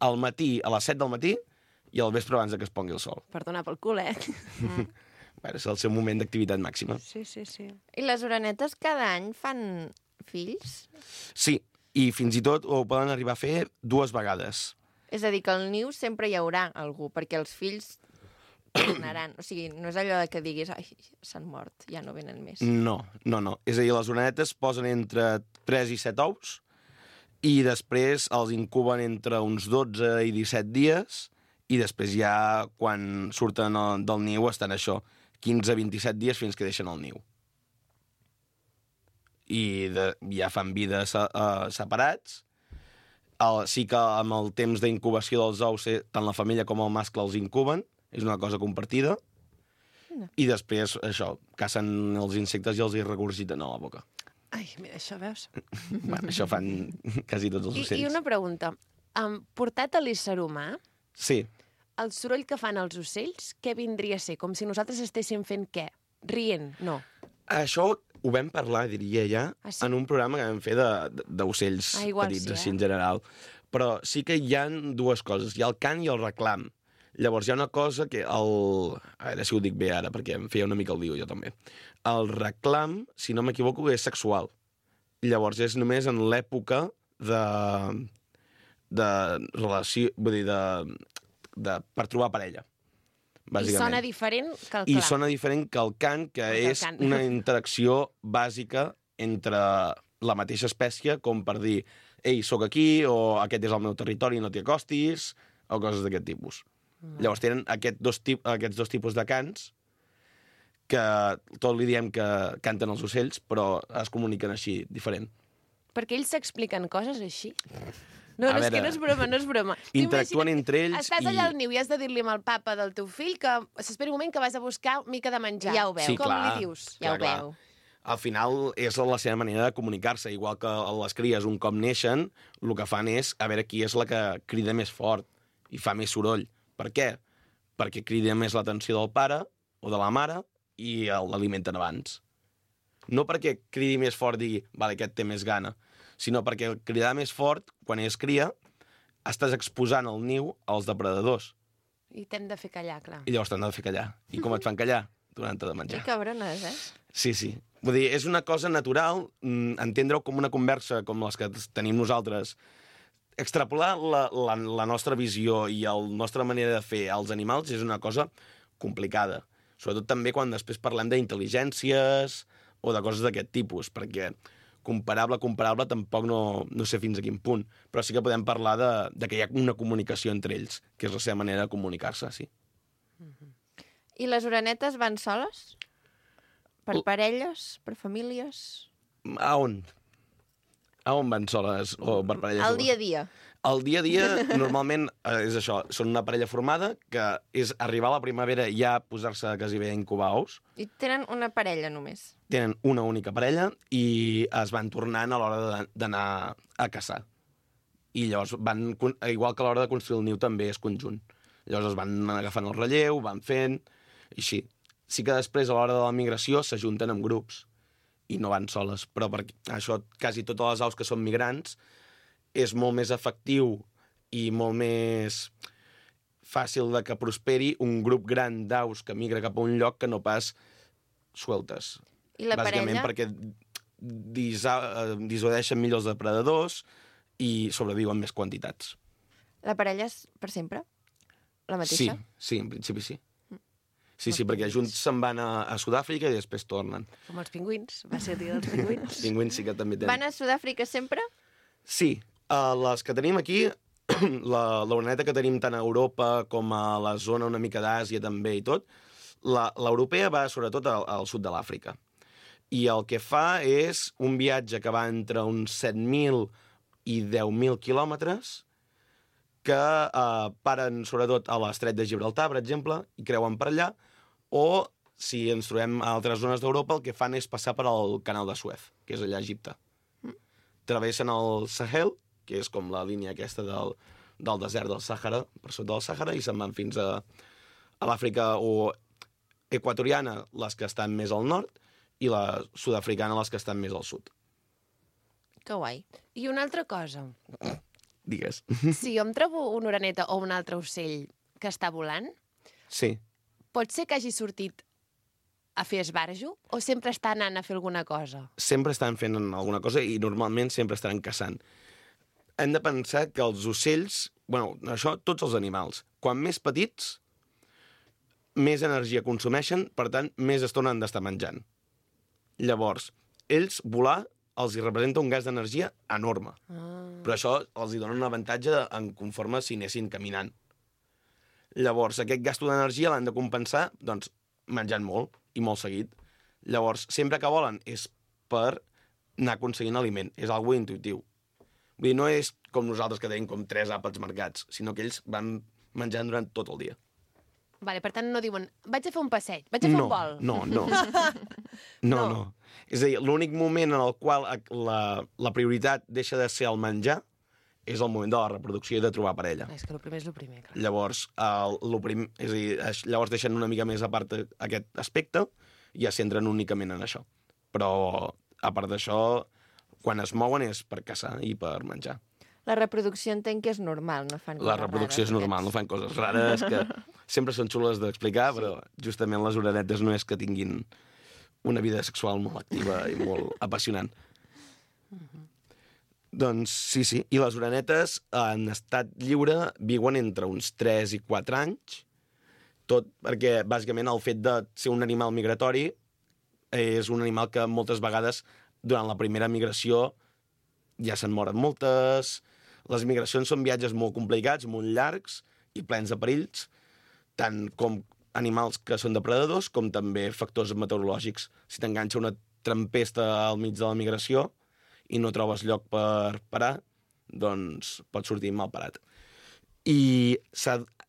al matí, a les set del matí, i al vespre abans de que es pongui el sol. Per donar pel cul, eh? Mm. Bueno, és el seu moment d'activitat màxima. Sí, sí, sí. I les orenetes cada any fan fills? Sí, i fins i tot ho poden arribar a fer dues vegades. És a dir, que al niu sempre hi haurà algú, perquè els fills tornaran. O sigui, no és allò de que diguis ai, s'han mort, ja no venen més. No, no, no. És a dir, les orenetes posen entre tres i set ous i després els incuben entre uns dotze i disset dies i després ja, quan surten del niu, estan això, quinze a vint-i-set dies fins que deixen el niu. I de, ja fan vida uh, separats. El, sí que amb el temps d'incubació dels ous, eh, tant la femella com el mascle els incuben, és una cosa compartida, no. I després, això, cacen els insectes i els hi regurgiten a la boca. Ai, mira, això veus? Bueno, això fan quasi tots els I, ocells. I una pregunta. Um, portat a l'ésser humà, Sí. el soroll que fan els ocells, què vindria a ser? Com si nosaltres estéssim fent què? Rient? No. Això ho vam parlar, diria ja, Ah, sí? en un programa que vam fer de- de- d'ocells Ah, igual petits, sí, eh? així en general. Però sí que hi ha dues coses. Hi ha el cant i el reclam. Llavors hi ha una cosa que el... A veure si ho dic bé ara, perquè em feia una mica el lío jo també. El reclam, si no m'equivoco, és sexual. Llavors és només en l'època de... de relació... Vull dir, de... de per trobar parella. I sona diferent que el I clar. sona diferent que el cant, que Que el és cant. una interacció bàsica entre la mateixa espècie, com per dir, ei, sóc aquí, o aquest és el meu territori, no t'hi acostis, o coses d'aquest tipus. Mm. Llavors tenen aquest dos tip, aquests dos tipus de cants, que tot li diem que canten els ocells, però es comuniquen així, diferent. Perquè ells s'expliquen coses així. No, A no, és veure, que no és broma, no és broma. Tu interactuen imagina't, entre ells Estàs i- allà al niu i has de dir-li al papa del teu fill que s'espera un moment que vas a buscar mica de menjar. Ja ho veu. Sí, Com clar. li dius? Ja Clar, ho clar. veu. Al final és la seva manera de comunicar-se, igual que les cries un cop neixen, el que fan és a veure qui és la que crida més fort i fa més soroll. Per què? Perquè crida més l'atenció del pare o de la mare i l'alimenten abans. No perquè cridi més fort i digui, vale, aquest té més gana, sinó perquè cridar més fort, quan és cria, estàs exposant el niu als depredadors I t'hem de fer callar, clar. i llavors t'han de fer callar. I com et fan callar? Donant-te de menjar. Que cabrones, eh? Sí, sí. Vull dir, és una cosa natural, mm, entendre-ho com una conversa com les que tenim nosaltres. Extrapolar la, la, la nostra visió i la nostra manera de fer als animals és una cosa complicada. Sobretot també quan després parlem d'intel·ligències o de coses d'aquest tipus, perquè comparable, comparable, tampoc no, no sé fins a quin punt, però sí que podem parlar de, de que hi ha una comunicació entre ells, que és la seva manera de comunicar-se, sí. I les orenetes van soles? Per L- parelles? Per famílies? A on? A on van soles o per parelles? Al dia a dia. El dia a dia, normalment, eh, és això, són una parella formada, que és arribar a la primavera i ja posar-se quasi bé a incubar ous. I tenen una parella només. Tenen una única parella i es van tornant a l'hora de- d'anar a caçar. I llavors van, con- igual que a l'hora de construir el niu també és conjunt. Llavors es van agafant el relleu, van fent, i així. Sí que després, a l'hora de la migració, s'ajunten en grups i no van soles, però per això quasi totes les aus que són migrants és molt més efectiu i molt més fàcil de que prosperi un grup gran d'aus que migra cap a un lloc que no pas sueltes. I la Bàsicament parella? perquè disa, eh, dissuadeixen millor els depredadors i sobreviuen més quantitats. La parella és per sempre? La Sí, mateixa? sí, en principi sí. Sí, sí, perquè junts se'n van a, a Sud-àfrica i després tornen. Com els pingüins. Va ser el dia dels pingüins. Els pingüins sí que també tenen. Van a Sud-àfrica sempre? Sí, uh, les que tenim aquí, la l'oreneta que tenim tant a Europa com a la zona una mica d'Àsia també i tot, la- l'europea va sobretot al, al sud de l'Àfrica. I el que fa és un viatge que va entre uns set mil i deu mil quilòmetres que eh, paren sobretot a l'estret de Gibraltar, per exemple, i creuen per allà, o si ens trobem a altres zones d'Europa, el que fan és passar per al canal de Suez, que és allà a Egipte. Travessen el Sahel, que és com la línia aquesta del, del desert del Sàhara, per sota del Sàhara, i se'n van fins a, a l'Àfrica o equatoriana, les que estan més al nord, i la sud-africana les que estan més al sud. Que guai. I una altra cosa. Digues. Si jo em trobo una oreneta o un altre ocell que està volant, Sí. pot ser que hagi sortit a fer esbarjo o sempre està anant a fer alguna cosa? Sempre estan fent alguna cosa i normalment sempre estaran caçant. Hem de pensar que els ocells, bueno, això, tots els animals, quan més petits, més energia consumeixen, per tant, més estona han d'estar menjant. Llavors, ells volar els hi representa un gas d'energia enorme. Ah. Però això els hi dona un avantatge en conforme si anessin caminant. Llavors, aquest gasto d'energia l'han de compensar, doncs, menjant molt, i molt seguit. Llavors, sempre que volen és per anar aconseguint aliment. És algo intuitiu. Vull dir, no és com nosaltres que tenim com tres àpats marcats, sinó que ells van menjant durant tot el dia. Vale, per tant, no diuen, vaig a fer un passeig, vaig a fer no, un vol. No, no. No, no. no. És a dir, l'únic moment en el qual la, la prioritat deixa de ser el menjar és el moment de la reproducció i de trobar parella. És que el primer és el primer, clar. Llavors, el, el prim, és a dir, llavors deixen una mica més a part aquest aspecte i ja s'entren únicament en això. Però, a part d'això, quan es mouen és per caçar i per menjar. La reproducció entenc que és normal, no fan coses La reproducció rares, és normal, no fan coses rares que sempre són xules d'explicar, sí. Però justament les orenetes no és que tinguin una vida sexual molt activa i molt apassionant. Mm-hmm. Doncs sí, sí. I les orenetes en estat lliure viuen entre uns tres i quatre anys, tot perquè, bàsicament, el fet de ser un animal migratori és un animal que moltes vegades, durant la primera migració, ja se'n moren moltes. Les migracions són viatges molt complicats, molt llargs i plens de perills, tant com animals que són depredadors com també factors meteorològics. Si t'enganxa una tempesta al mig de la migració i no trobes lloc per parar, doncs pot sortir mal parat. I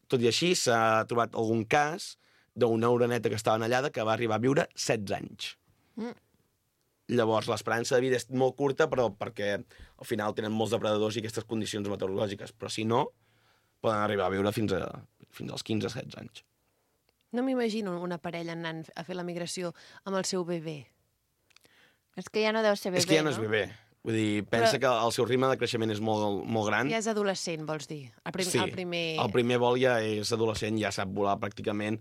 tot i així s'ha trobat algun cas d'una oreneta que estava anellada que va arribar a viure setze anys. Mm. Llavors, l'esperança de vida és molt curta, però perquè al final tenen molts depredadors i aquestes condicions meteorològiques. Però si no, poden arribar a viure fins, a, fins als quinze setze anys. No m'imagino una parella anant a fer la migració amb el seu bebè. És que ja no deu ser bebè, no? És que ja no és bebè. Vull dir, pensa però... que el seu ritme de creixement és molt, molt gran. Ja és adolescent, vols dir? El, prim... sí, el primer... el primer vol ja és adolescent, ja sap volar pràcticament,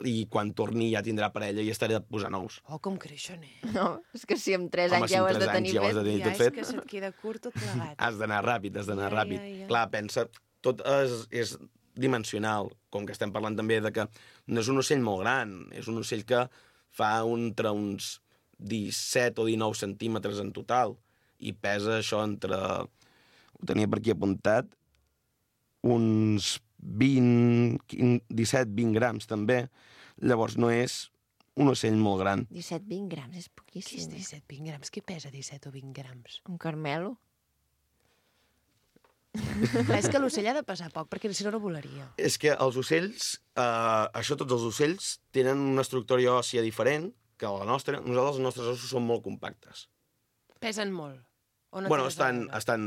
i quan torni ja tindrà parella i estarà a posar nous. Oh, com creixen, eh? No, és que si amb tres Home, anys si ja ho amb has de tres tenir anys ja ho has fet... de tenir Ja tot és fet. que se't queda curt tot plegat. Has d'anar ràpid, has d'anar Ja, ràpid. ja, ja. Clar, pensa, tot és, és dimensional, com que estem parlant també de que no és un ocell molt gran, és un ocell que fa entre uns disset o dinou centímetres en total, i pesa això entre, ho tenia per aquí apuntat, uns vint, disset vint grams també. Llavors no és un ocell molt gran. disset vint grams, és Què és poquíssim. disset vint grams? Què pesa disset o vint grams? Un carmelo. Clar, és que l'ocell ha de pesar poc, perquè si no, no volaria. És que els ocells, eh, això tots els ocells, tenen una estructura òssia diferent que la nostra. Nosaltres, els nostres ossos són molt compactes. Pesen molt. O no Bueno, tens estan, a veure? estan...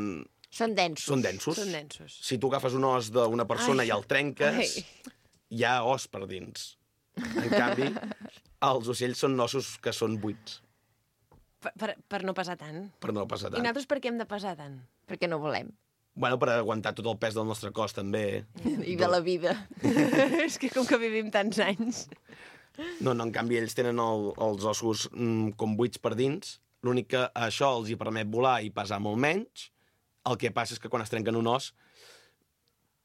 Són densos. Són densos. Són densos. Si tu agafes un os d'una persona Ai. i el trenques, Ai. hi ha os per dins. En canvi, els ocells són ossos que són buits, Per, per, per no pesar tant. per no passar I tant. nosaltres per què hem de pesar tant? Perquè no volem. Bueno, per aguantar tot el pes del nostre cos, també. I de la vida. És que com que vivim tants anys... No, no, en canvi, ells tenen el, els ossos mm, com buits per dins. L'únic que això els hi permet volar i pesar molt menys. El que passa és que quan es trenquen un os,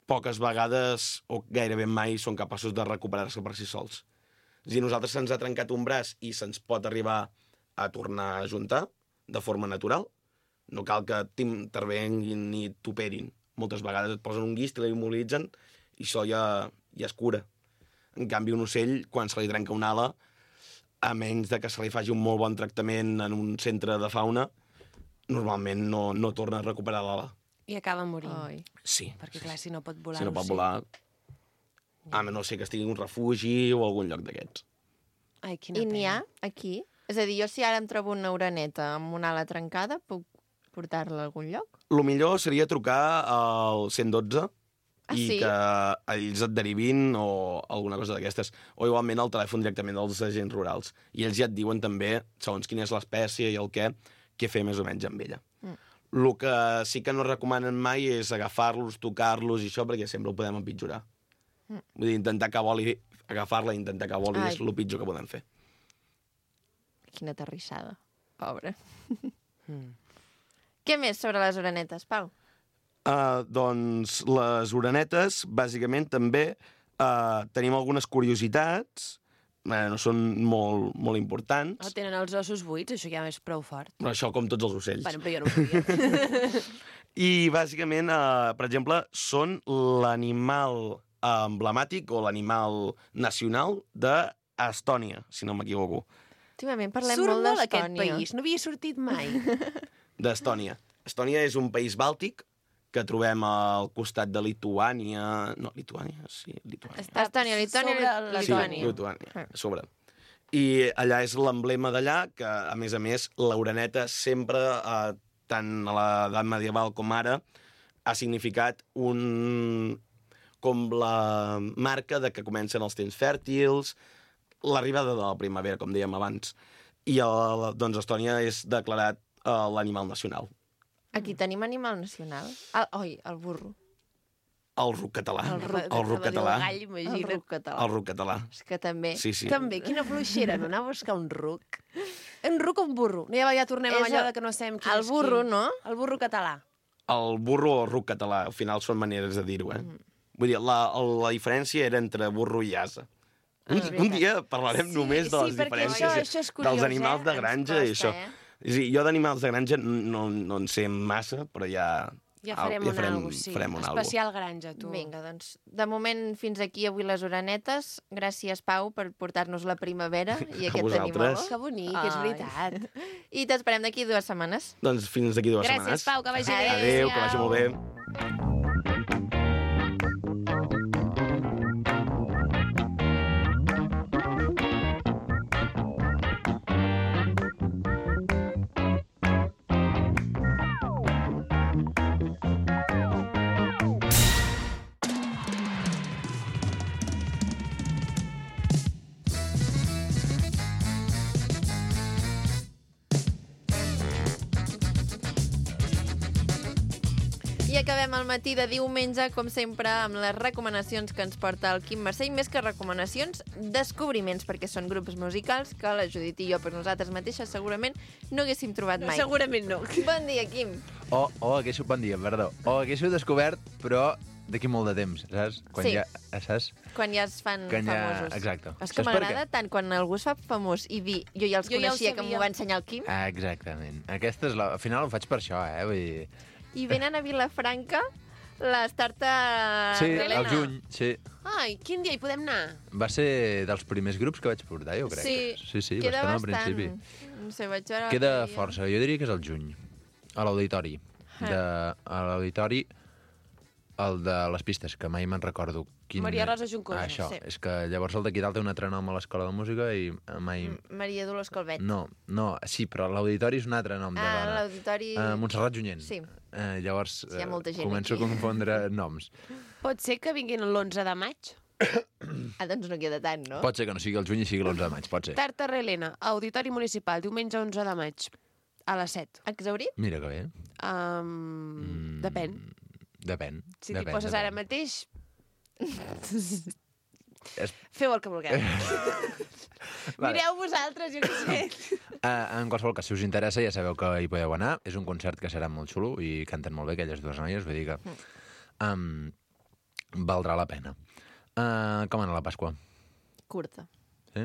poques vegades, o gairebé mai, són capaços de recuperar-se per si sols. És a dir, nosaltres se'ns ha trencat un braç i se'ns pot arribar a tornar a juntar de forma natural. No cal que t'intervenguin ni t'operin. Moltes vegades et posen un guix, te l'immobilitzen i això ja, ja es cura. En canvi, un ocell, quan se li trenca una ala, a menys de que se li faci un molt bon tractament en un centre de fauna, normalment no, no torna a recuperar l'ala. I acaba morint. Ai. Sí. Perquè, clar, si no pot volar... Si no pot l'ocell. volar, a no sé que estigui en un refugi o algun lloc d'aquests. Ai, quina I n'hi ha pena. aquí? És a dir, jo si ara em trobo una oreneta amb una ala trencada, puc portar-la a algun lloc? El millor seria trucar al cent dotze Ah, i sí? que ells et derivin o alguna cosa d'aquestes. O igualment el telèfon directament dels agents rurals. I ells ja et diuen també, segons quina és l'espècie i el què, què fer més o menys amb ella. Mm. El que sí que no recomanen mai és agafar-los, tocar-los i això, perquè sempre ho podem empitjorar. Mm. Vull dir, intentar que voli, agafar-la i intentar que voli Ai. és el pitjor que podem fer. Quina terrissada. Pobre. Mm. Què més sobre les orenetes, Pau? Uh, doncs les orenetes, bàsicament, també uh, tenim algunes curiositats, uh, no són molt, molt importants, Oh, tenen els ossos buits, això ja és prou fort. però això com tots els ocells. Bueno, però jo no ho sabia. I, bàsicament, uh, per exemple, són l'animal uh, emblemàtic o l'animal nacional d'Estònia, si no m'equivoco. Últimament parlem Surt molt molt aquest d'Estònia. país, no havia sortit mai. D'Estònia. Estònia és un país bàltic que trobem al costat de Lituània... No, Lituània, sí, Lituània. Està Estònia, Lituània, sobre Lituània. Sí, Letònia. Lituània, Ah. a sobre. I allà és l'emblema d'allà, que, a més a més, l'oreneta sempre, eh, tant a l'edat medieval com ara, ha significat un... com la marca de que comencen els temps fèrtils, l'arribada de la primavera, com dèiem abans. I, el, doncs, Estònia és declarat eh, l'animal nacional. Aquí tenim animal nacional. El, oi, el burro. El ruc català. El ruc. el ruc català. El gall, El imagina't. ruc català. El ruc català. És que també... Sí, sí. També, quina fluixera, no anar a buscar un ruc. Un ruc o un burro? No, ja, ja tornem És amb allò el- de que no sabem quin El és burro, quin. no? El burro català. El burro o el ruc català, al final són maneres de dir-ho, eh? Mm. Vull dir, la, la diferència era entre burro i asa. Un, Ah, un dia parlarem Sí, només de sí, les perquè diferències això- això és curiós, dels animals eh? de Ens granja i costa, això. eh? Sí, jo d'animals de granja no, no en sé massa, però ja... Ja farem ja un algo, sí. farem un algo. Especial granja, tu. Vinga, doncs, de moment fins aquí avui les orenetes. Gràcies, Pau, per portar-nos la primavera i A aquest vosaltres. animal. Que bonic, és Ai. veritat. I t'esperem d'aquí dues setmanes. Doncs fins d'aquí dues Gràcies, setmanes. Pau, que vagi bé. Adéu, que vagi molt bé. I acabem el matí de diumenge, com sempre, amb les recomanacions que ens porta el Quim Mercè, i més que recomanacions, descobriments, perquè són grups musicals que la Judit i jo per nosaltres mateixes segurament no haguéssim trobat mai. Segurament no. Bon dia, Quim. O, o haguéssiu, bon dia, perdó. O haguéssiu descobert, però d'aquí molt de temps, saps? Quan Sí. ja, saps? Quan ja es fan Quan ja- famosos. exacte. És que Saps per m'agrada tant quan algú es fa famós i dir jo ja els Jo ja ho coneixia, que sabia. m'ho va ensenyar el Quim, Ah, exactament. Aquesta és la... Al final ho faig per això, eh? Vull dir... i venen a Vilafranca les tartes Sí, d'Helena. al juny, sí. Ai, quin dia hi podem anar? Va ser dels primers grups que vaig portar, jo crec. Sí, sí, sí queda bastant al bastant. principi. No sé, vaig veure... Queda l'altre dia. força, jo diria que és al juny, a l'auditori. Ah. De, a l'auditori, el de les pistes, que mai me'n recordo quin... Maria Rosa Juncosa, Ah, això, sí. és que llavors el d'aquí dalt té un altre nom a l'escola de música i mai... M- Maria Dolors Calvet. No, no, sí, però l'auditori és un altre nom de Ah, dona. l'auditori... Uh, Montserrat Junyent. Sí. Uh, llavors Sí, hi ha molta gent començo aquí. a confondre noms. Pot ser que vinguin l'onze de maig? Ah, doncs no queda tant, no? Pot ser que no sigui el juny i sigui l'onze de maig, pot ser. Tarta Helena, Auditori Municipal, diumenge onze de maig, a les set. Exaurit? Mira que bé. Um, Mm, Depèn. Depèn. Si t'hi depèn, poses depèn. ara mateix, És- feu el que vulgueu. Vale. Mireu vosaltres, jo què sé. Uh, en qualsevol cas, si us interessa, ja sabeu que hi podeu anar. És un concert que serà molt xulo i canten molt bé aquelles dues noies, vull dir que um, valdrà la pena. Uh, com anar la Pasqua? Curta. Sí?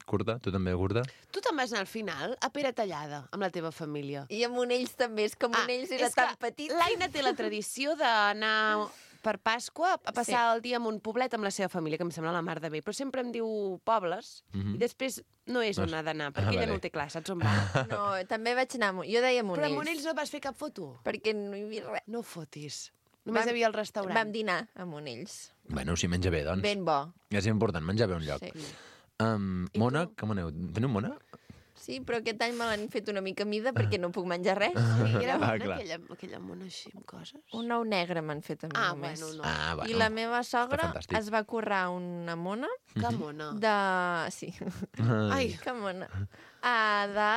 Curta? Tu també curta? Tu te'n vas anar al final a Pere Tallada, amb la teva família. I a Monells també, és que Monells era és que tan petit. L'Aina té la tradició d'anar per Pasqua a passar Sí. el dia en un poblet amb la seva família, que em sembla la mar de bé, però sempre em diu pobles, Mhm. i després no és No on és- ha d'anar, Ah, perquè ella vale. no ho té clar, saps on va? No, també vaig anar a Mon- Jo deia Però Monells. a Monells no vas fer cap foto? Perquè no hi havia res. No fotis. Només Vam- hi havia el restaurant. Vam dinar a Monells. Bueno, si menja bé, doncs. Ben bo. És important menjar bé a un lloc. Sí. Um, I Mona, tu? com aneu? Teniu Mona? Sí, però aquest any me l'han fet una mica mida perquè no puc menjar res. Sí, era Ah, bona, clar. aquella, aquella mona així amb coses. Un ou negre m'han fet a mi Ah, només. bueno, no. Ah, bueno. I la meva sogra fantàstic. es va currar una mona Que mona. de... Sí, Ai, que mona. Ah, de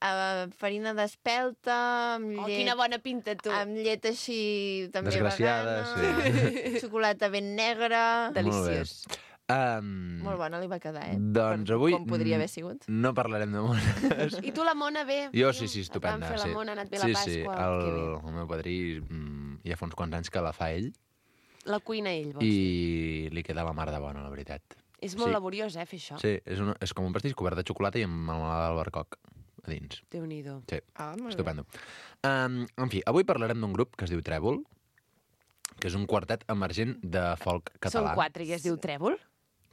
uh, farina d'espelta, amb oh, llet... quina bona pinta, tu. Amb llet així també Desgraciada, vegana. Xocolata ben negra. Deliciós. Um, Molt bona li va quedar, eh? Doncs Per avui com podria haver sigut. no parlarem de mones. I tu la mona bé? Jo sí, sí, estupenda. Et van fer sí. la mona, ha anat bé sí, la Pasqua. Sí, Que bé. el, el meu padrí mm, ja fa uns quants anys que la fa ell La cuina ell, vols i dir. li queda la mar de bona, la veritat. És molt sí. laboriós, eh, fer això. Sí, és, una, és com un pastís cobert de xocolata i amb melmelada d'albercoc a dins. Déu-n'hi-do. Sí, Ah, molt bé. estupendo. Um, en fi, avui parlarem d'un grup que es diu Trèvol, que és un quartet emergent de folk català. Són quatre i es diu Trèvol?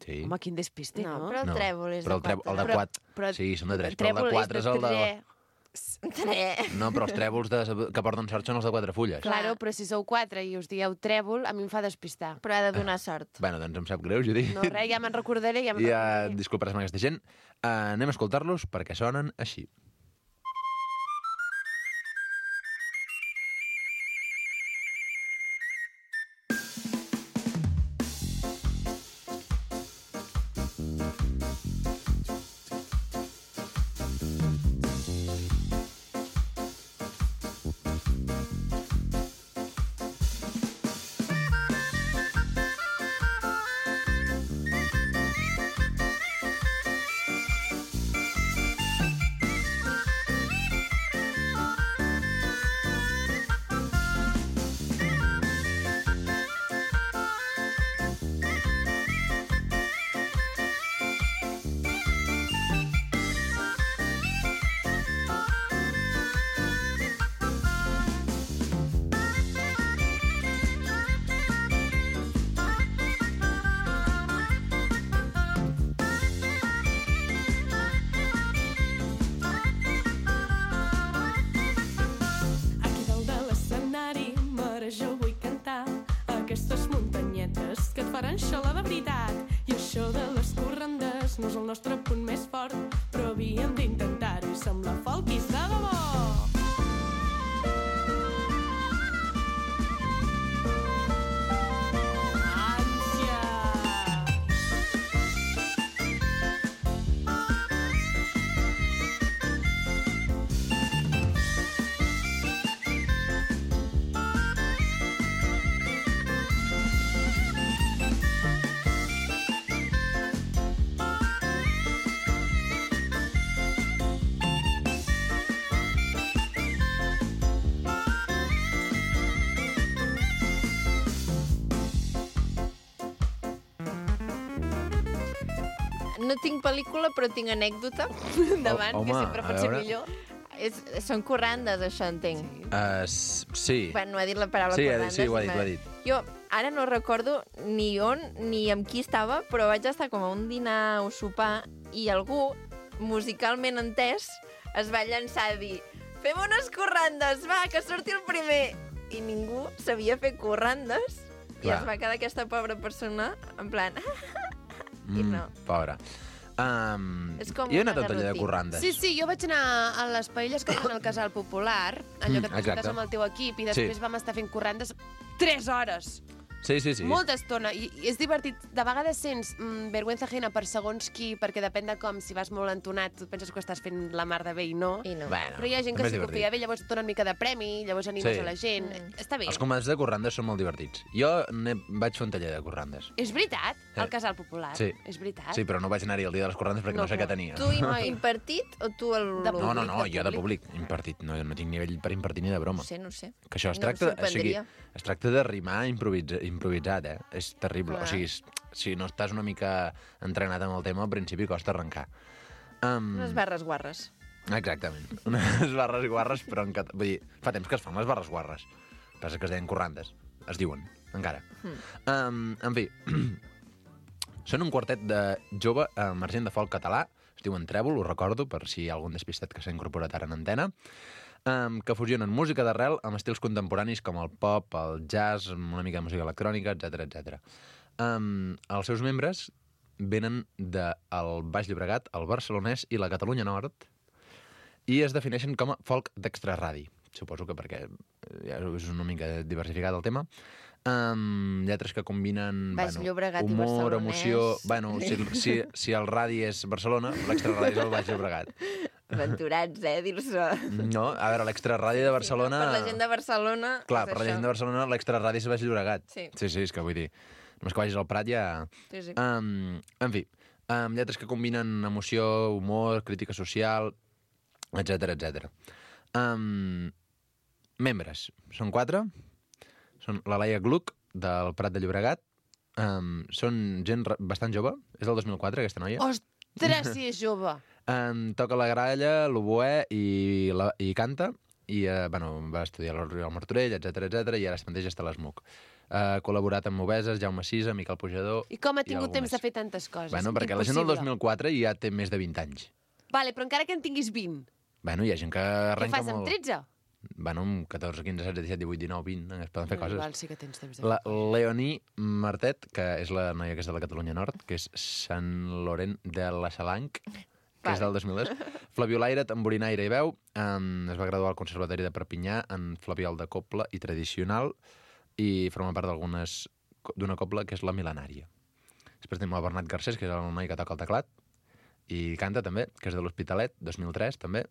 Sí. Home, quin despiste, No, no? però el trèvol és però el, de trèvol, el de quatre. quatre. Però- Sí, són de tres, El però el de trèvol quatre és el de... tre. Tre. No, però els trèvols de, que porten sort són els de quatre fulles. Claro, però si sou quatre i us dieu Trèvol, a mi em fa despistar. Però ha de donar sort. Bueno, doncs em sap greu, Judit. No, res, ja me'n recordaré, ja me'n Ja recordaré. disculparàs amb aquesta gent. Uh, anem a escoltar-los perquè sonen així. Aquí dalt de l'escenari, mare, jo vull cantar aquestes muntanyetes que et faran xalar de veritat. I això de les corrandes no és el nostre punt més fort, però havíem d'intentar-ho i sembla folquis de debò. Ànsia! No tinc pel·lícula, però tinc anècdota. Endavant, Oh, que home, sempre a pot ser veure. millor. És, són corrandes, això, entenc. Uh, sí. Bueno, ha dit la paraula Sí, ha dit- corrandes. sí, ho ha i dit, m'ha- ho ha dit. Jo ara no recordo ni on ni amb qui estava, però vaig estar com a un dinar o sopar i algú, musicalment entès, es va llançar a dir fem unes corrandes, va, que surti el primer. I ningú sabia fer corrandes. I Clar. es va quedar aquesta pobra persona en plan... I no. Pobra. Um, És com jo he una anat a un taller de garrotina. corrandes. Sí, sí, jo vaig anar a les paelles que fan al Casal Popular, allò que Mm, et exacte. presentes amb el teu equip, i després Sí. vam estar fent corrandes tres hores. Sí, sí, sí. Molta estona. I, I és divertit. De vegades sents mm, vergüenza ajena per segons qui, perquè depèn de com, si vas molt entonat, tu penses que estàs fent la mar de bé i no. I no. Bueno, Però hi ha gent que també és sí que ho divertit. feia bé, llavors et dona una mica de premi, llavors animes Sí. a la gent. Mm. Està bé. Els comandants de corrandes són molt divertits. Jo ne vaig fer un taller de corrandes. És veritat, Sí. al Casal Popular. Sí. És veritat. Sí, però no vaig anar-hi el dia de les corrandes perquè no, No, sé clar. què tenia. Tu im- impartit o tu el... De No, no, públic, no, de jo de públic. públic, impartit. No, no tinc nivell per impartir ni de broma. No sé, no sé. Que això es No em tracta, o sigui, sorprendria. es tracta de rimar improvisa, improvisat, eh? És terrible. Clar. O sigui, s- si no estàs una mica entrenat amb el tema, al principi costa arrencar. Um, Unes barres guarres. Exactament. Unes barres guarres, però en cat... Vull dir, fa temps que es fan les barres guarres. Passa que es deien corrandes. Es diuen, encara. Mm. Um, en fi, són un quartet de jove emergent de folk català, es diuen Trèvol, ho recordo, per si hi ha algun despistat que s'ha incorporat ara en antena, um, que fusionen música d'arrel amb estils contemporanis com el pop, el jazz, amb una mica de música electrònica, etcètera etcètera. Um, els seus membres venen del Baix Llobregat, el Barcelonès i la Catalunya Nord, i es defineixen com a folk d'extraradi. Suposo que perquè ja és una mica diversificat el tema. Um, lletres que combinen Baix bueno, Llobregat i humor, barcelonès. emoció... Bueno, si, si, si el radi és Barcelona, l'extraradi és el Baix Llobregat. Aventurats, eh, dir-se. No, a veure, l'extraradi de Barcelona... Per la gent de Barcelona... Clar, és per la això. gent de Barcelona l'extraradi és Baix Llobregat. Sí. sí, sí, és que vull dir... Només que vagis al Prat ja... Sí, sí. Um, en fi, um, lletres que combinen emoció, humor, crítica social, etcètera, etcètera. Um, membres. Són quatre. Són la Laia Gluck, del Prat de Llobregat. Um, són gent re- bastant jove. És del dos mil quatre, aquesta noia. Ostres, si és jove! Um, toca la gralla, l'oboè i, la, i canta. I, uh, bueno, va estudiar al Martorell, etcètera, etcètera, i ara es mateix està a l'ESMUC. Ha uh, col·laborat amb Moveses, Jaume Sisa, Miquel Pujador... I com ha i tingut algú temps més. de fer tantes coses? Bueno, perquè la gent del Impossible. dos mil quatre ja té més de vint anys. Vale, però encara que en tinguis vint, Bueno, hi ha gent que què arrenca fas amb molt... tretze? Bueno, amb catorze, quinze, setze, disset, divuit, dinou, vint, es poden fer coses. Val, sí que tens temps de fer La Leonie Martet, que és la noia que és de la Catalunya Nord, que és Sant Laurent de la Salanc, que és del dos mil dos. Flaviolaire, tamborinaire i veu. Um, es va graduar al Conservatori de Perpinyà en flabiol de cobla i tradicional i forma part d'algunes d'una cobla que és la mil·lenària. Després tenim el Bernat Garcés, que és el noi que toca el teclat, i canta també, que és de l'Hospitalet, dos mil tres també.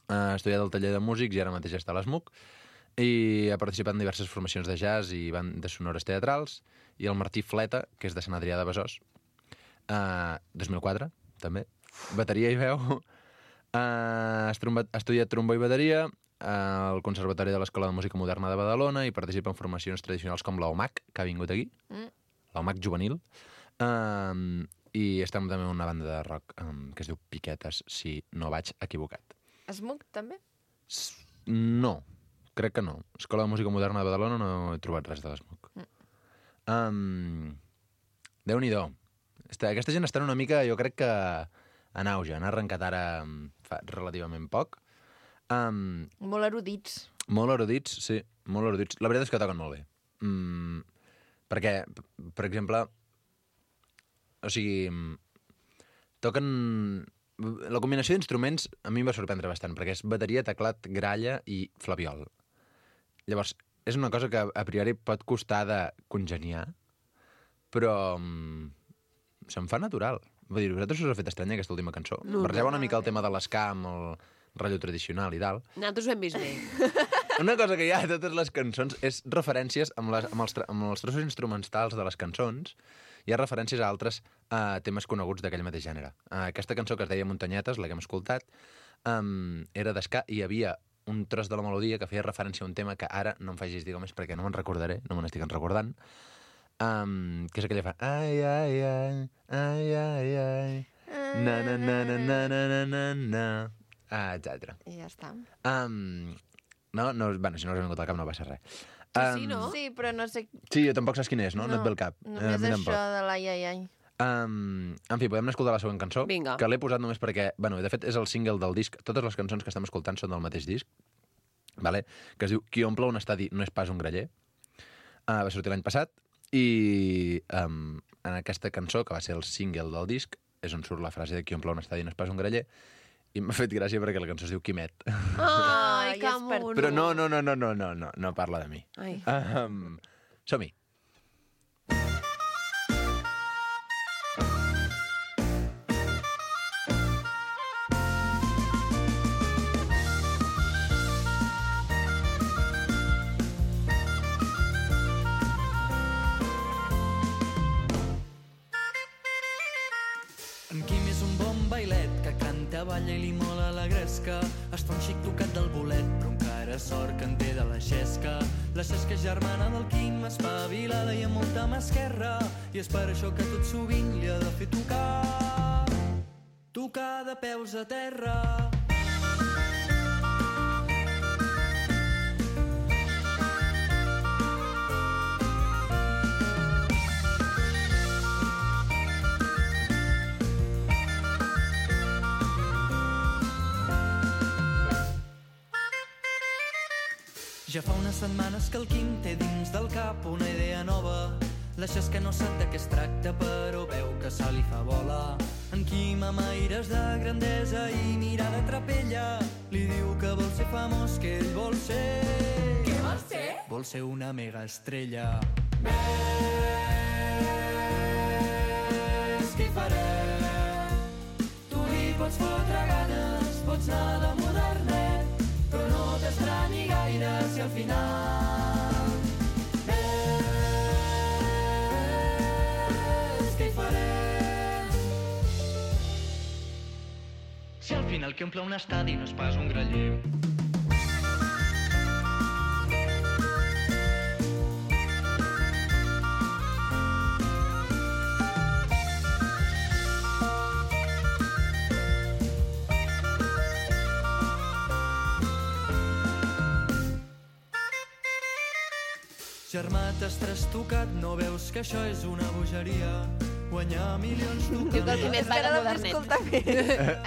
Ha estudiat al taller de músics i ara mateix està a l'ESMUC. I ha participat en diverses formacions de jazz i bandes sonores teatrals. I el Martí Fleta, que és de Sant Adrià de Besòs, uh, dos mil quatre, també. Bateria i veu. Uh, ha estudiat trombó i bateria al Conservatori de l'Escola de Música Moderna de Badalona i participa en formacions tradicionals com l'OMAC, que ha vingut aquí, Mm. l'OMAC juvenil. Uh, I està també en una banda de rock um, que es diu Piquetes, si no vaig equivocat. Esmuc, també? S- No, crec que no. Escola de Música Moderna de Badalona no he trobat res de l'Esmuc. Mm. Um, Déu-n'hi-do. Esta- Aquesta gent està una mica, jo crec que en auge. Han arrencat ara um, fa relativament poc. Um, Molt erudits. molt erudits, sí, molt erudits. La veritat és que toquen molt bé. Mm, perquè, p- per exemple, o sigui, mm, toquen... La combinació d'instruments a mi em va sorprendre bastant, perquè és bateria, teclat, gralla i flabiol. Llavors, és una cosa que a priori pot costar de congeniar, però mm, se'm fa natural. Vull dir, a vosaltres us ha fet estranya aquesta última cançó? No, Barrejava no. una mica el tema de l'esca amb el rotllo tradicional i tal. Nosaltres ho hem vist bé. Una cosa que hi ha a totes les cançons és referències amb, les, amb, els, tra- amb els trossos instrumentals de les cançons. Hi ha referències a altres uh, temes coneguts d'aquell mateix gènere. Uh, aquesta cançó que es deia Muntanyetes, la que hem escoltat, um, era d'esca i hi havia un tros de la melodia que feia referència a un tema que ara no em facis dir més perquè no me'n recordaré, no me n'estic recordant, um, que és aquella fa... Ai, ai, ai, ai, ai, ai, na, na, na, na, na, na, na, na, na, ah, etcètera. I ja està. Um, no, no, bueno, si no us ha vingut al cap no passa res. Sí, no? Sí, però no sé... Sí, jo tampoc saps quin és, no? No, no et ve el cap. Només a mi això tampoc. de l'ai, ai, ai. Um, en fi, podem escoltar la següent cançó, Vinga. que l'he posat només perquè, bueno, de fet és el single del disc, totes les cançons que estem escoltant són del mateix disc, vale? Que es diu Qui omple un estadi no és pas un graller, uh, va sortir l'any passat, i um, en aquesta cançó, que va ser el single del disc, és on surt la frase de Qui omple un estadi no és pas un graller, i m'ha fet gràcia perquè la cançó es diu Quimet. Ai, Ai, que és per mono. Però no, no, no, no, no, no, no, no parla de mi. Ai. Um, som-hi. En Quim és un bon bailet que canta, balla i li mola la gresca. Es fa un xic tocat del bolet, però encara sort que en té de la xesca. La xesca és germana del Quim, espavilada i amb molta mà esquerra. I és per això que tot sovint li ha de fer tocar, tocar de peus a terra. Ja fa unes setmanes que el Quim té dins del cap una idea nova. La xesca no sap de què es tracta, però veu que se li fa bola. En Quim amaira Mires de grandesa i mirada trapella. Li diu que vol ser famós, que ell vol ser... Què vol ser? Vol ser una mega estrella. Ves, què farem? Tu li pots fotre ganes, pots anar de modernet, però no t'estranyi gaire si al final... Ves, què farem? Si al final qui omple un estadi no és pas un graller. Germà, t'has trastocat, no veus que això és una bogeria? Guanyar milions tu... Diu que el primer va de modernet. modernet.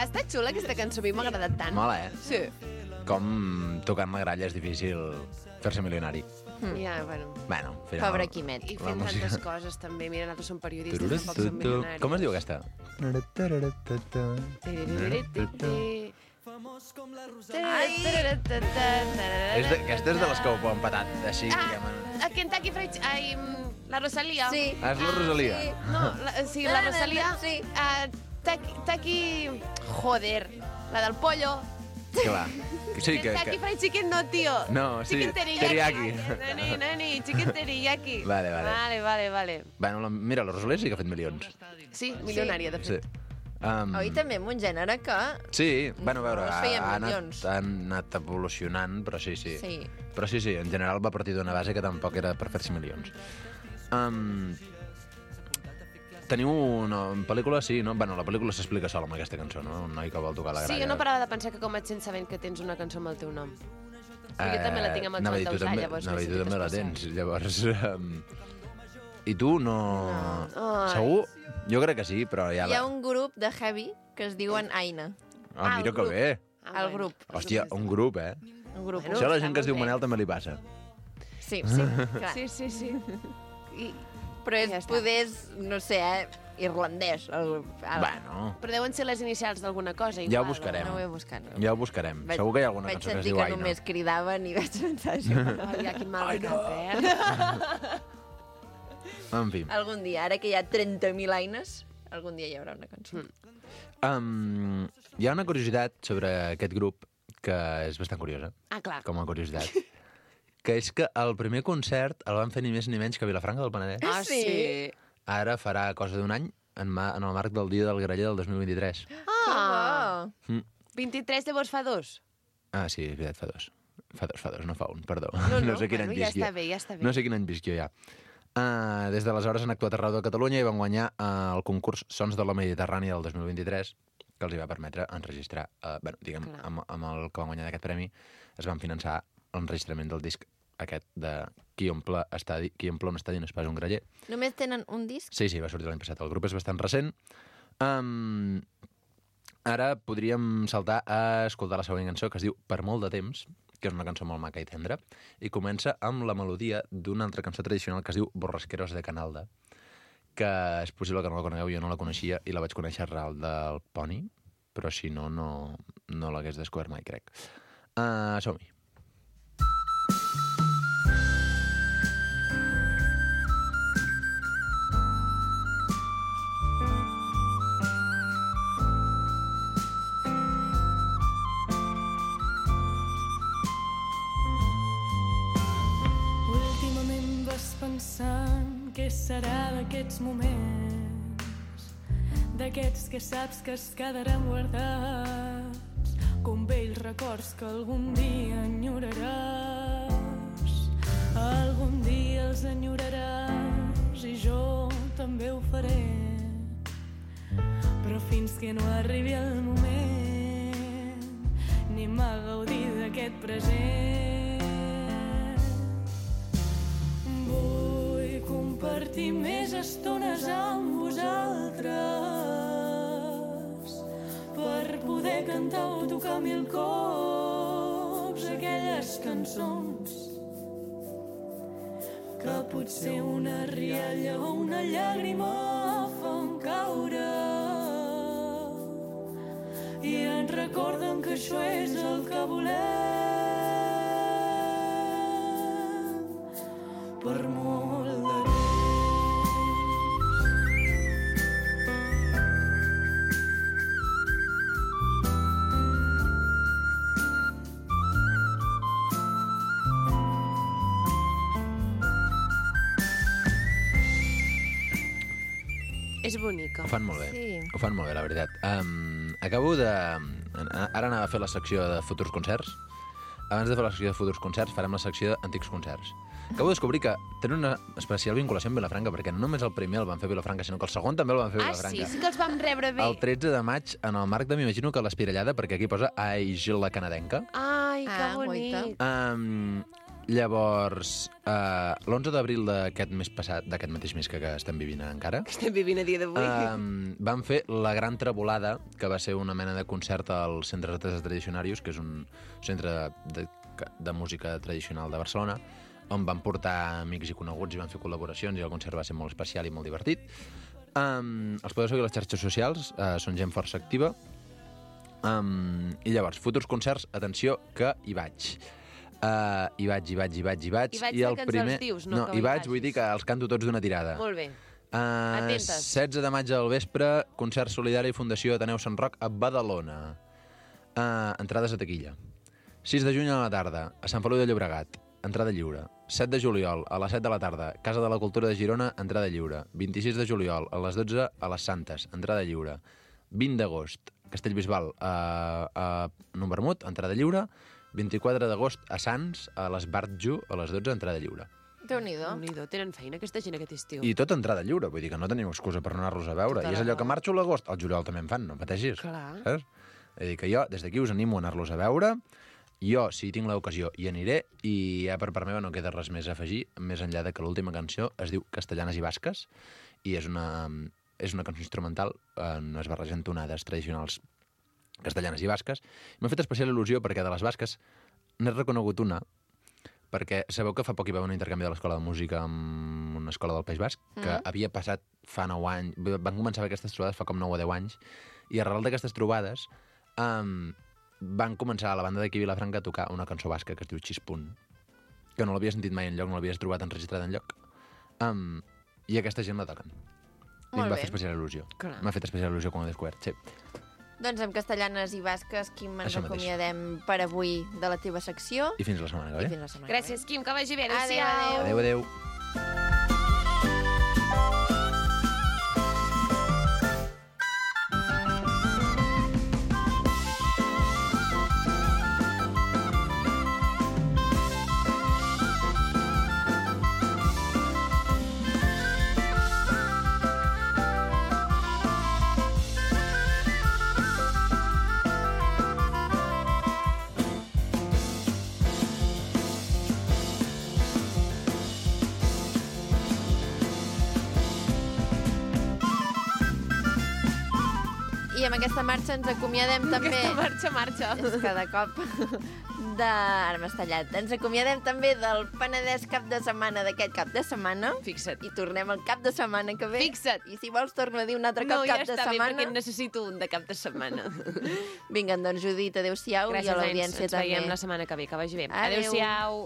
Està xula aquesta cançó, a mi m'ha agradat tant. Mola, eh? Sí. Com tocant la gralla és difícil fer-se milionari. Mm. Ja, bueno. Bueno, al final... Pobre Quimet. I La fent música. tantes coses, també. Mira, nosaltres som periodistes, Tururut, tampoc som tu, tu. milionaris. Com es diu aquesta? Ai! És de, aquesta és de les que ho han patat, així. Ah, diguem. a Kentucky Fried... Ai, mm, la Rosalia. Sí. Ah, és la Rosalia. Sí, no, la, sí, la Rosalia. Sí. Uh, Taki, taki... Joder, la del pollo. Clar. Sí, que, Kentucky que... Fried Chicken no, tío. No, sí, Chicken teriyaki. teriyaki. Nani, nani, chicken teriyaki. Vale, vale. Vale, vale, vale. Bueno, la, mira, la Rosalia sí que ha fet milions. Sí, milionària, de Sí. fet. Um, Oi, també amb un gènere que... Sí, bueno, a veure, No es ha, feien ha, anat, milions. ha anat evolucionant, però sí, sí. Sí. Però sí, sí, en general va partir d'una base que tampoc era per fer-se milions. Um, teniu una pel·lícula, sí, no? Bueno, la pel·lícula s'explica sola amb aquesta cançó, no? Un noi que vol tocar la gralla. Sí, jo no parava de pensar que com et sents sabent que tens una cançó amb el teu nom. Perquè jo també la tinc amb el anava a dir, Joan tu Dausà, també- llavors anava a dir, tu necessites també la passar. tens, llavors... Um, I tu no... Ai. Segur? Jo crec que sí, però ja... Hi ha La... un grup de heavy que es diuen Aina. Ah, mira el que grup. bé. Ah, El bueno. grup. Hòstia, un grup, eh? Un grup. Bueno, Això a la està gent que es diu molt bé. Manel també li passa. Sí, sí, clar. Sí, sí, sí. I, Però és, Ja està. poder, és, no sé, eh, irlandès. El, el, Bueno, però deuen ser les inicials d'alguna cosa, igual. ja ho buscarem. No ho he buscat. No. Ja ho buscarem. Segur que hi ha alguna vaig cançó que es sentir diu que Aina. només cridaven i vaig pensar això. Ai, ja, quin mal de cap, eh? En fi. Algun dia, ara que hi ha trenta mil Aines, algun dia hi haurà una cançó. Um, hi ha una curiositat sobre aquest grup que és bastant curiosa, Ah, clar. com a curiositat, que és que el primer concert el van fer ni més ni menys que a Vilafranca del Penedès. Ah, sí? Ara farà cosa d'un any, en, ma, en el marc del Dia del Graller del dos mil vint-i-tres. Ah! Mm. vint-i-tres llavors fa dos? Ah, sí, és veritat, fa dos. Fa dos, fa dos, no fa un, perdó. No, no, sé quin bueno, any ja visc jo. està bé, ja està bé. No sé quin any visc jo ja. Uh, des d'aleshores han actuat arreu de Catalunya i van guanyar uh, el concurs Sons de la Mediterrània del dos mil vint-i-tres, que els hi va permetre enregistrar, uh, bueno, diguem, Clar. amb, amb el que van guanyar aquest premi, es van finançar l'enregistrament del disc aquest de Qui omple, estadi, qui omple un estadi no és pas un graller. Només tenen un disc? Sí, sí, va sortir l'any passat. El grup és bastant recent. Um, ara podríem saltar a escoltar la següent cançó, que es diu Per molt de temps, que és una cançó molt maca i tendra, i comença amb la melodia d'una altra cançó tradicional que es diu Borrasqueros de Canalda, que és possible que no la conegueu, jo no la coneixia i la vaig conèixer arrel del Poni, però si no, no, no l'hagués descobert mai, crec. Uh, som-hi. Últimament vas pensant què serà d'aquests moments, d'aquests que saps que es quedaran guardats, com vells records que algun dia enyoraràs. Algun dia els enyoraràs i jo també ho faré, però fins que no arribi el moment anem a gaudir d'aquest present. Vull compartir més estones amb vosaltres per poder cantar o tocar mil cops aquelles cançons que potser una rialla o una llàgrima fan caure ens recorden que això és el que volem per molt de temps. És bonica. Ho fan molt bé. Sí. Ho fan molt bé, la veritat. Um, acabo de... Ara anava a fer la secció de futurs concerts. Abans de fer la secció de futurs concerts, farem la secció d'antics concerts. Acabo de descobrir que tenen una especial vinculació amb Vilafranca, perquè no només el primer el van fer a Vilafranca, sinó que el segon també el van fer a Ah, Vilafranca. sí? Sí que els vam rebre bé. El tretze de maig, en el marc de, m'imagino que l'Espirallada, perquè aquí posa Ai, Gil la canadenca. Ai, que Ah, bonic. Um, llavors, uh, l'onze d'abril d'aquest mes passat, d'aquest mateix mes que, que estem vivint encara, Que estem vivint a dia d'avui. um, van fer la Gran Trebolada, que va ser una mena de concert al Centre d'Artes Tradicionarius, que és un centre de, de música tradicional de Barcelona, on van portar amics i coneguts i van fer col·laboracions, i el concert va ser molt especial i molt divertit. Um, els podeu seguir a les xarxes socials, uh, són gent força activa. Um, I llavors, futurs concerts, atenció, que hi vaig. Uh, hi vaig, hi vaig, hi vaig, hi vaig. Hi vaig I de el que ens primer... els dius, no no que hi hi vaig, vagis. vull dir que els canto tots d'una tirada. Molt bé. Uh, Atentes. setze de maig al vespre, concert solidari Fundació Ateneu Sant Roc a Badalona. Uh, entrades a taquilla. sis de juny a la tarda, a Sant Feliu de Llobregat, entrada lliure. set de juliol, a les set de la tarda, Casa de la Cultura de Girona, entrada lliure. vint-i-sis de juliol, a les dotze, a les Santes, entrada lliure. vint d'agost, Castellbisbal, a, a Numbermut, entrada lliure. vint-i-quatre d'agost, a Sants, a l'Esbartju, a les dotze, entrada lliure. Déu-n'hi-do. Déu-n'hi-do, tenen feina aquesta gent aquest estiu. I tot entrada lliure, vull dir que no tenim excusa per no anar-los a veure. Tota I és la allò que raó. marxo a l'agost, al juliol també en fan, no pateixis. Clar. Saps? És a dir, que jo, des d'aquí, us animo a anar-los a veure. Jo, si tinc l'ocasió, hi aniré, i ja per part meva no queda res més a afegir, més enllà de que l'última cançó es diu Castellanes i Basques, i és una, és una cançó instrumental, eh, no es barregen tonades tradicionals castellanes i basques. M'ha fet especial il·lusió perquè de les basques n'he reconegut una, perquè sabeu que fa poc hi va haver un intercanvi de l'Escola de Música amb una escola del País Basc, que Mm. havia passat fa nou anys, van començar a fer aquestes trobades fa com nou o deu anys, i arrel d'aquestes trobades um, van començar a la banda d'aquí a Vilafranca a tocar una cançó basca que es diu Xispunt, que no l'havia sentit mai enlloc, no l'havies trobat enregistrada enlloc. Um, I aquesta gent la toquen. I Molt em va bé. fer especial il·lusió. Clar. M'ha fet especial il·lusió quan ho he descobert, sí. Doncs amb castellanes i basques, Quim, ens Això mateix. acomiadem per avui de la teva secció. I fins la setmana que ve. I fins la setmana Gràcies, Quim, que vagi bé. Adéu, Adéu-siau. adéu. Adéu, adéu. I amb aquesta marxa ens acomiadem també... Aquesta marxa, marxa. És cada cop de... Ara m'has tallat. Ens acomiadem també del Penedès cap de setmana d'aquest cap de setmana. Fixa't. I tornem el cap de setmana que ve. Fixa't. I si vols torno a dir un altre No, cop ja cap de està bé, setmana. perquè en necessito un de cap de setmana. Vinga, doncs Judit, adéu-siau. I Gràcies, a Ains. l'audiència Ens també. veiem la setmana que ve. Que vagi bé. Adéu. Adéu-siau.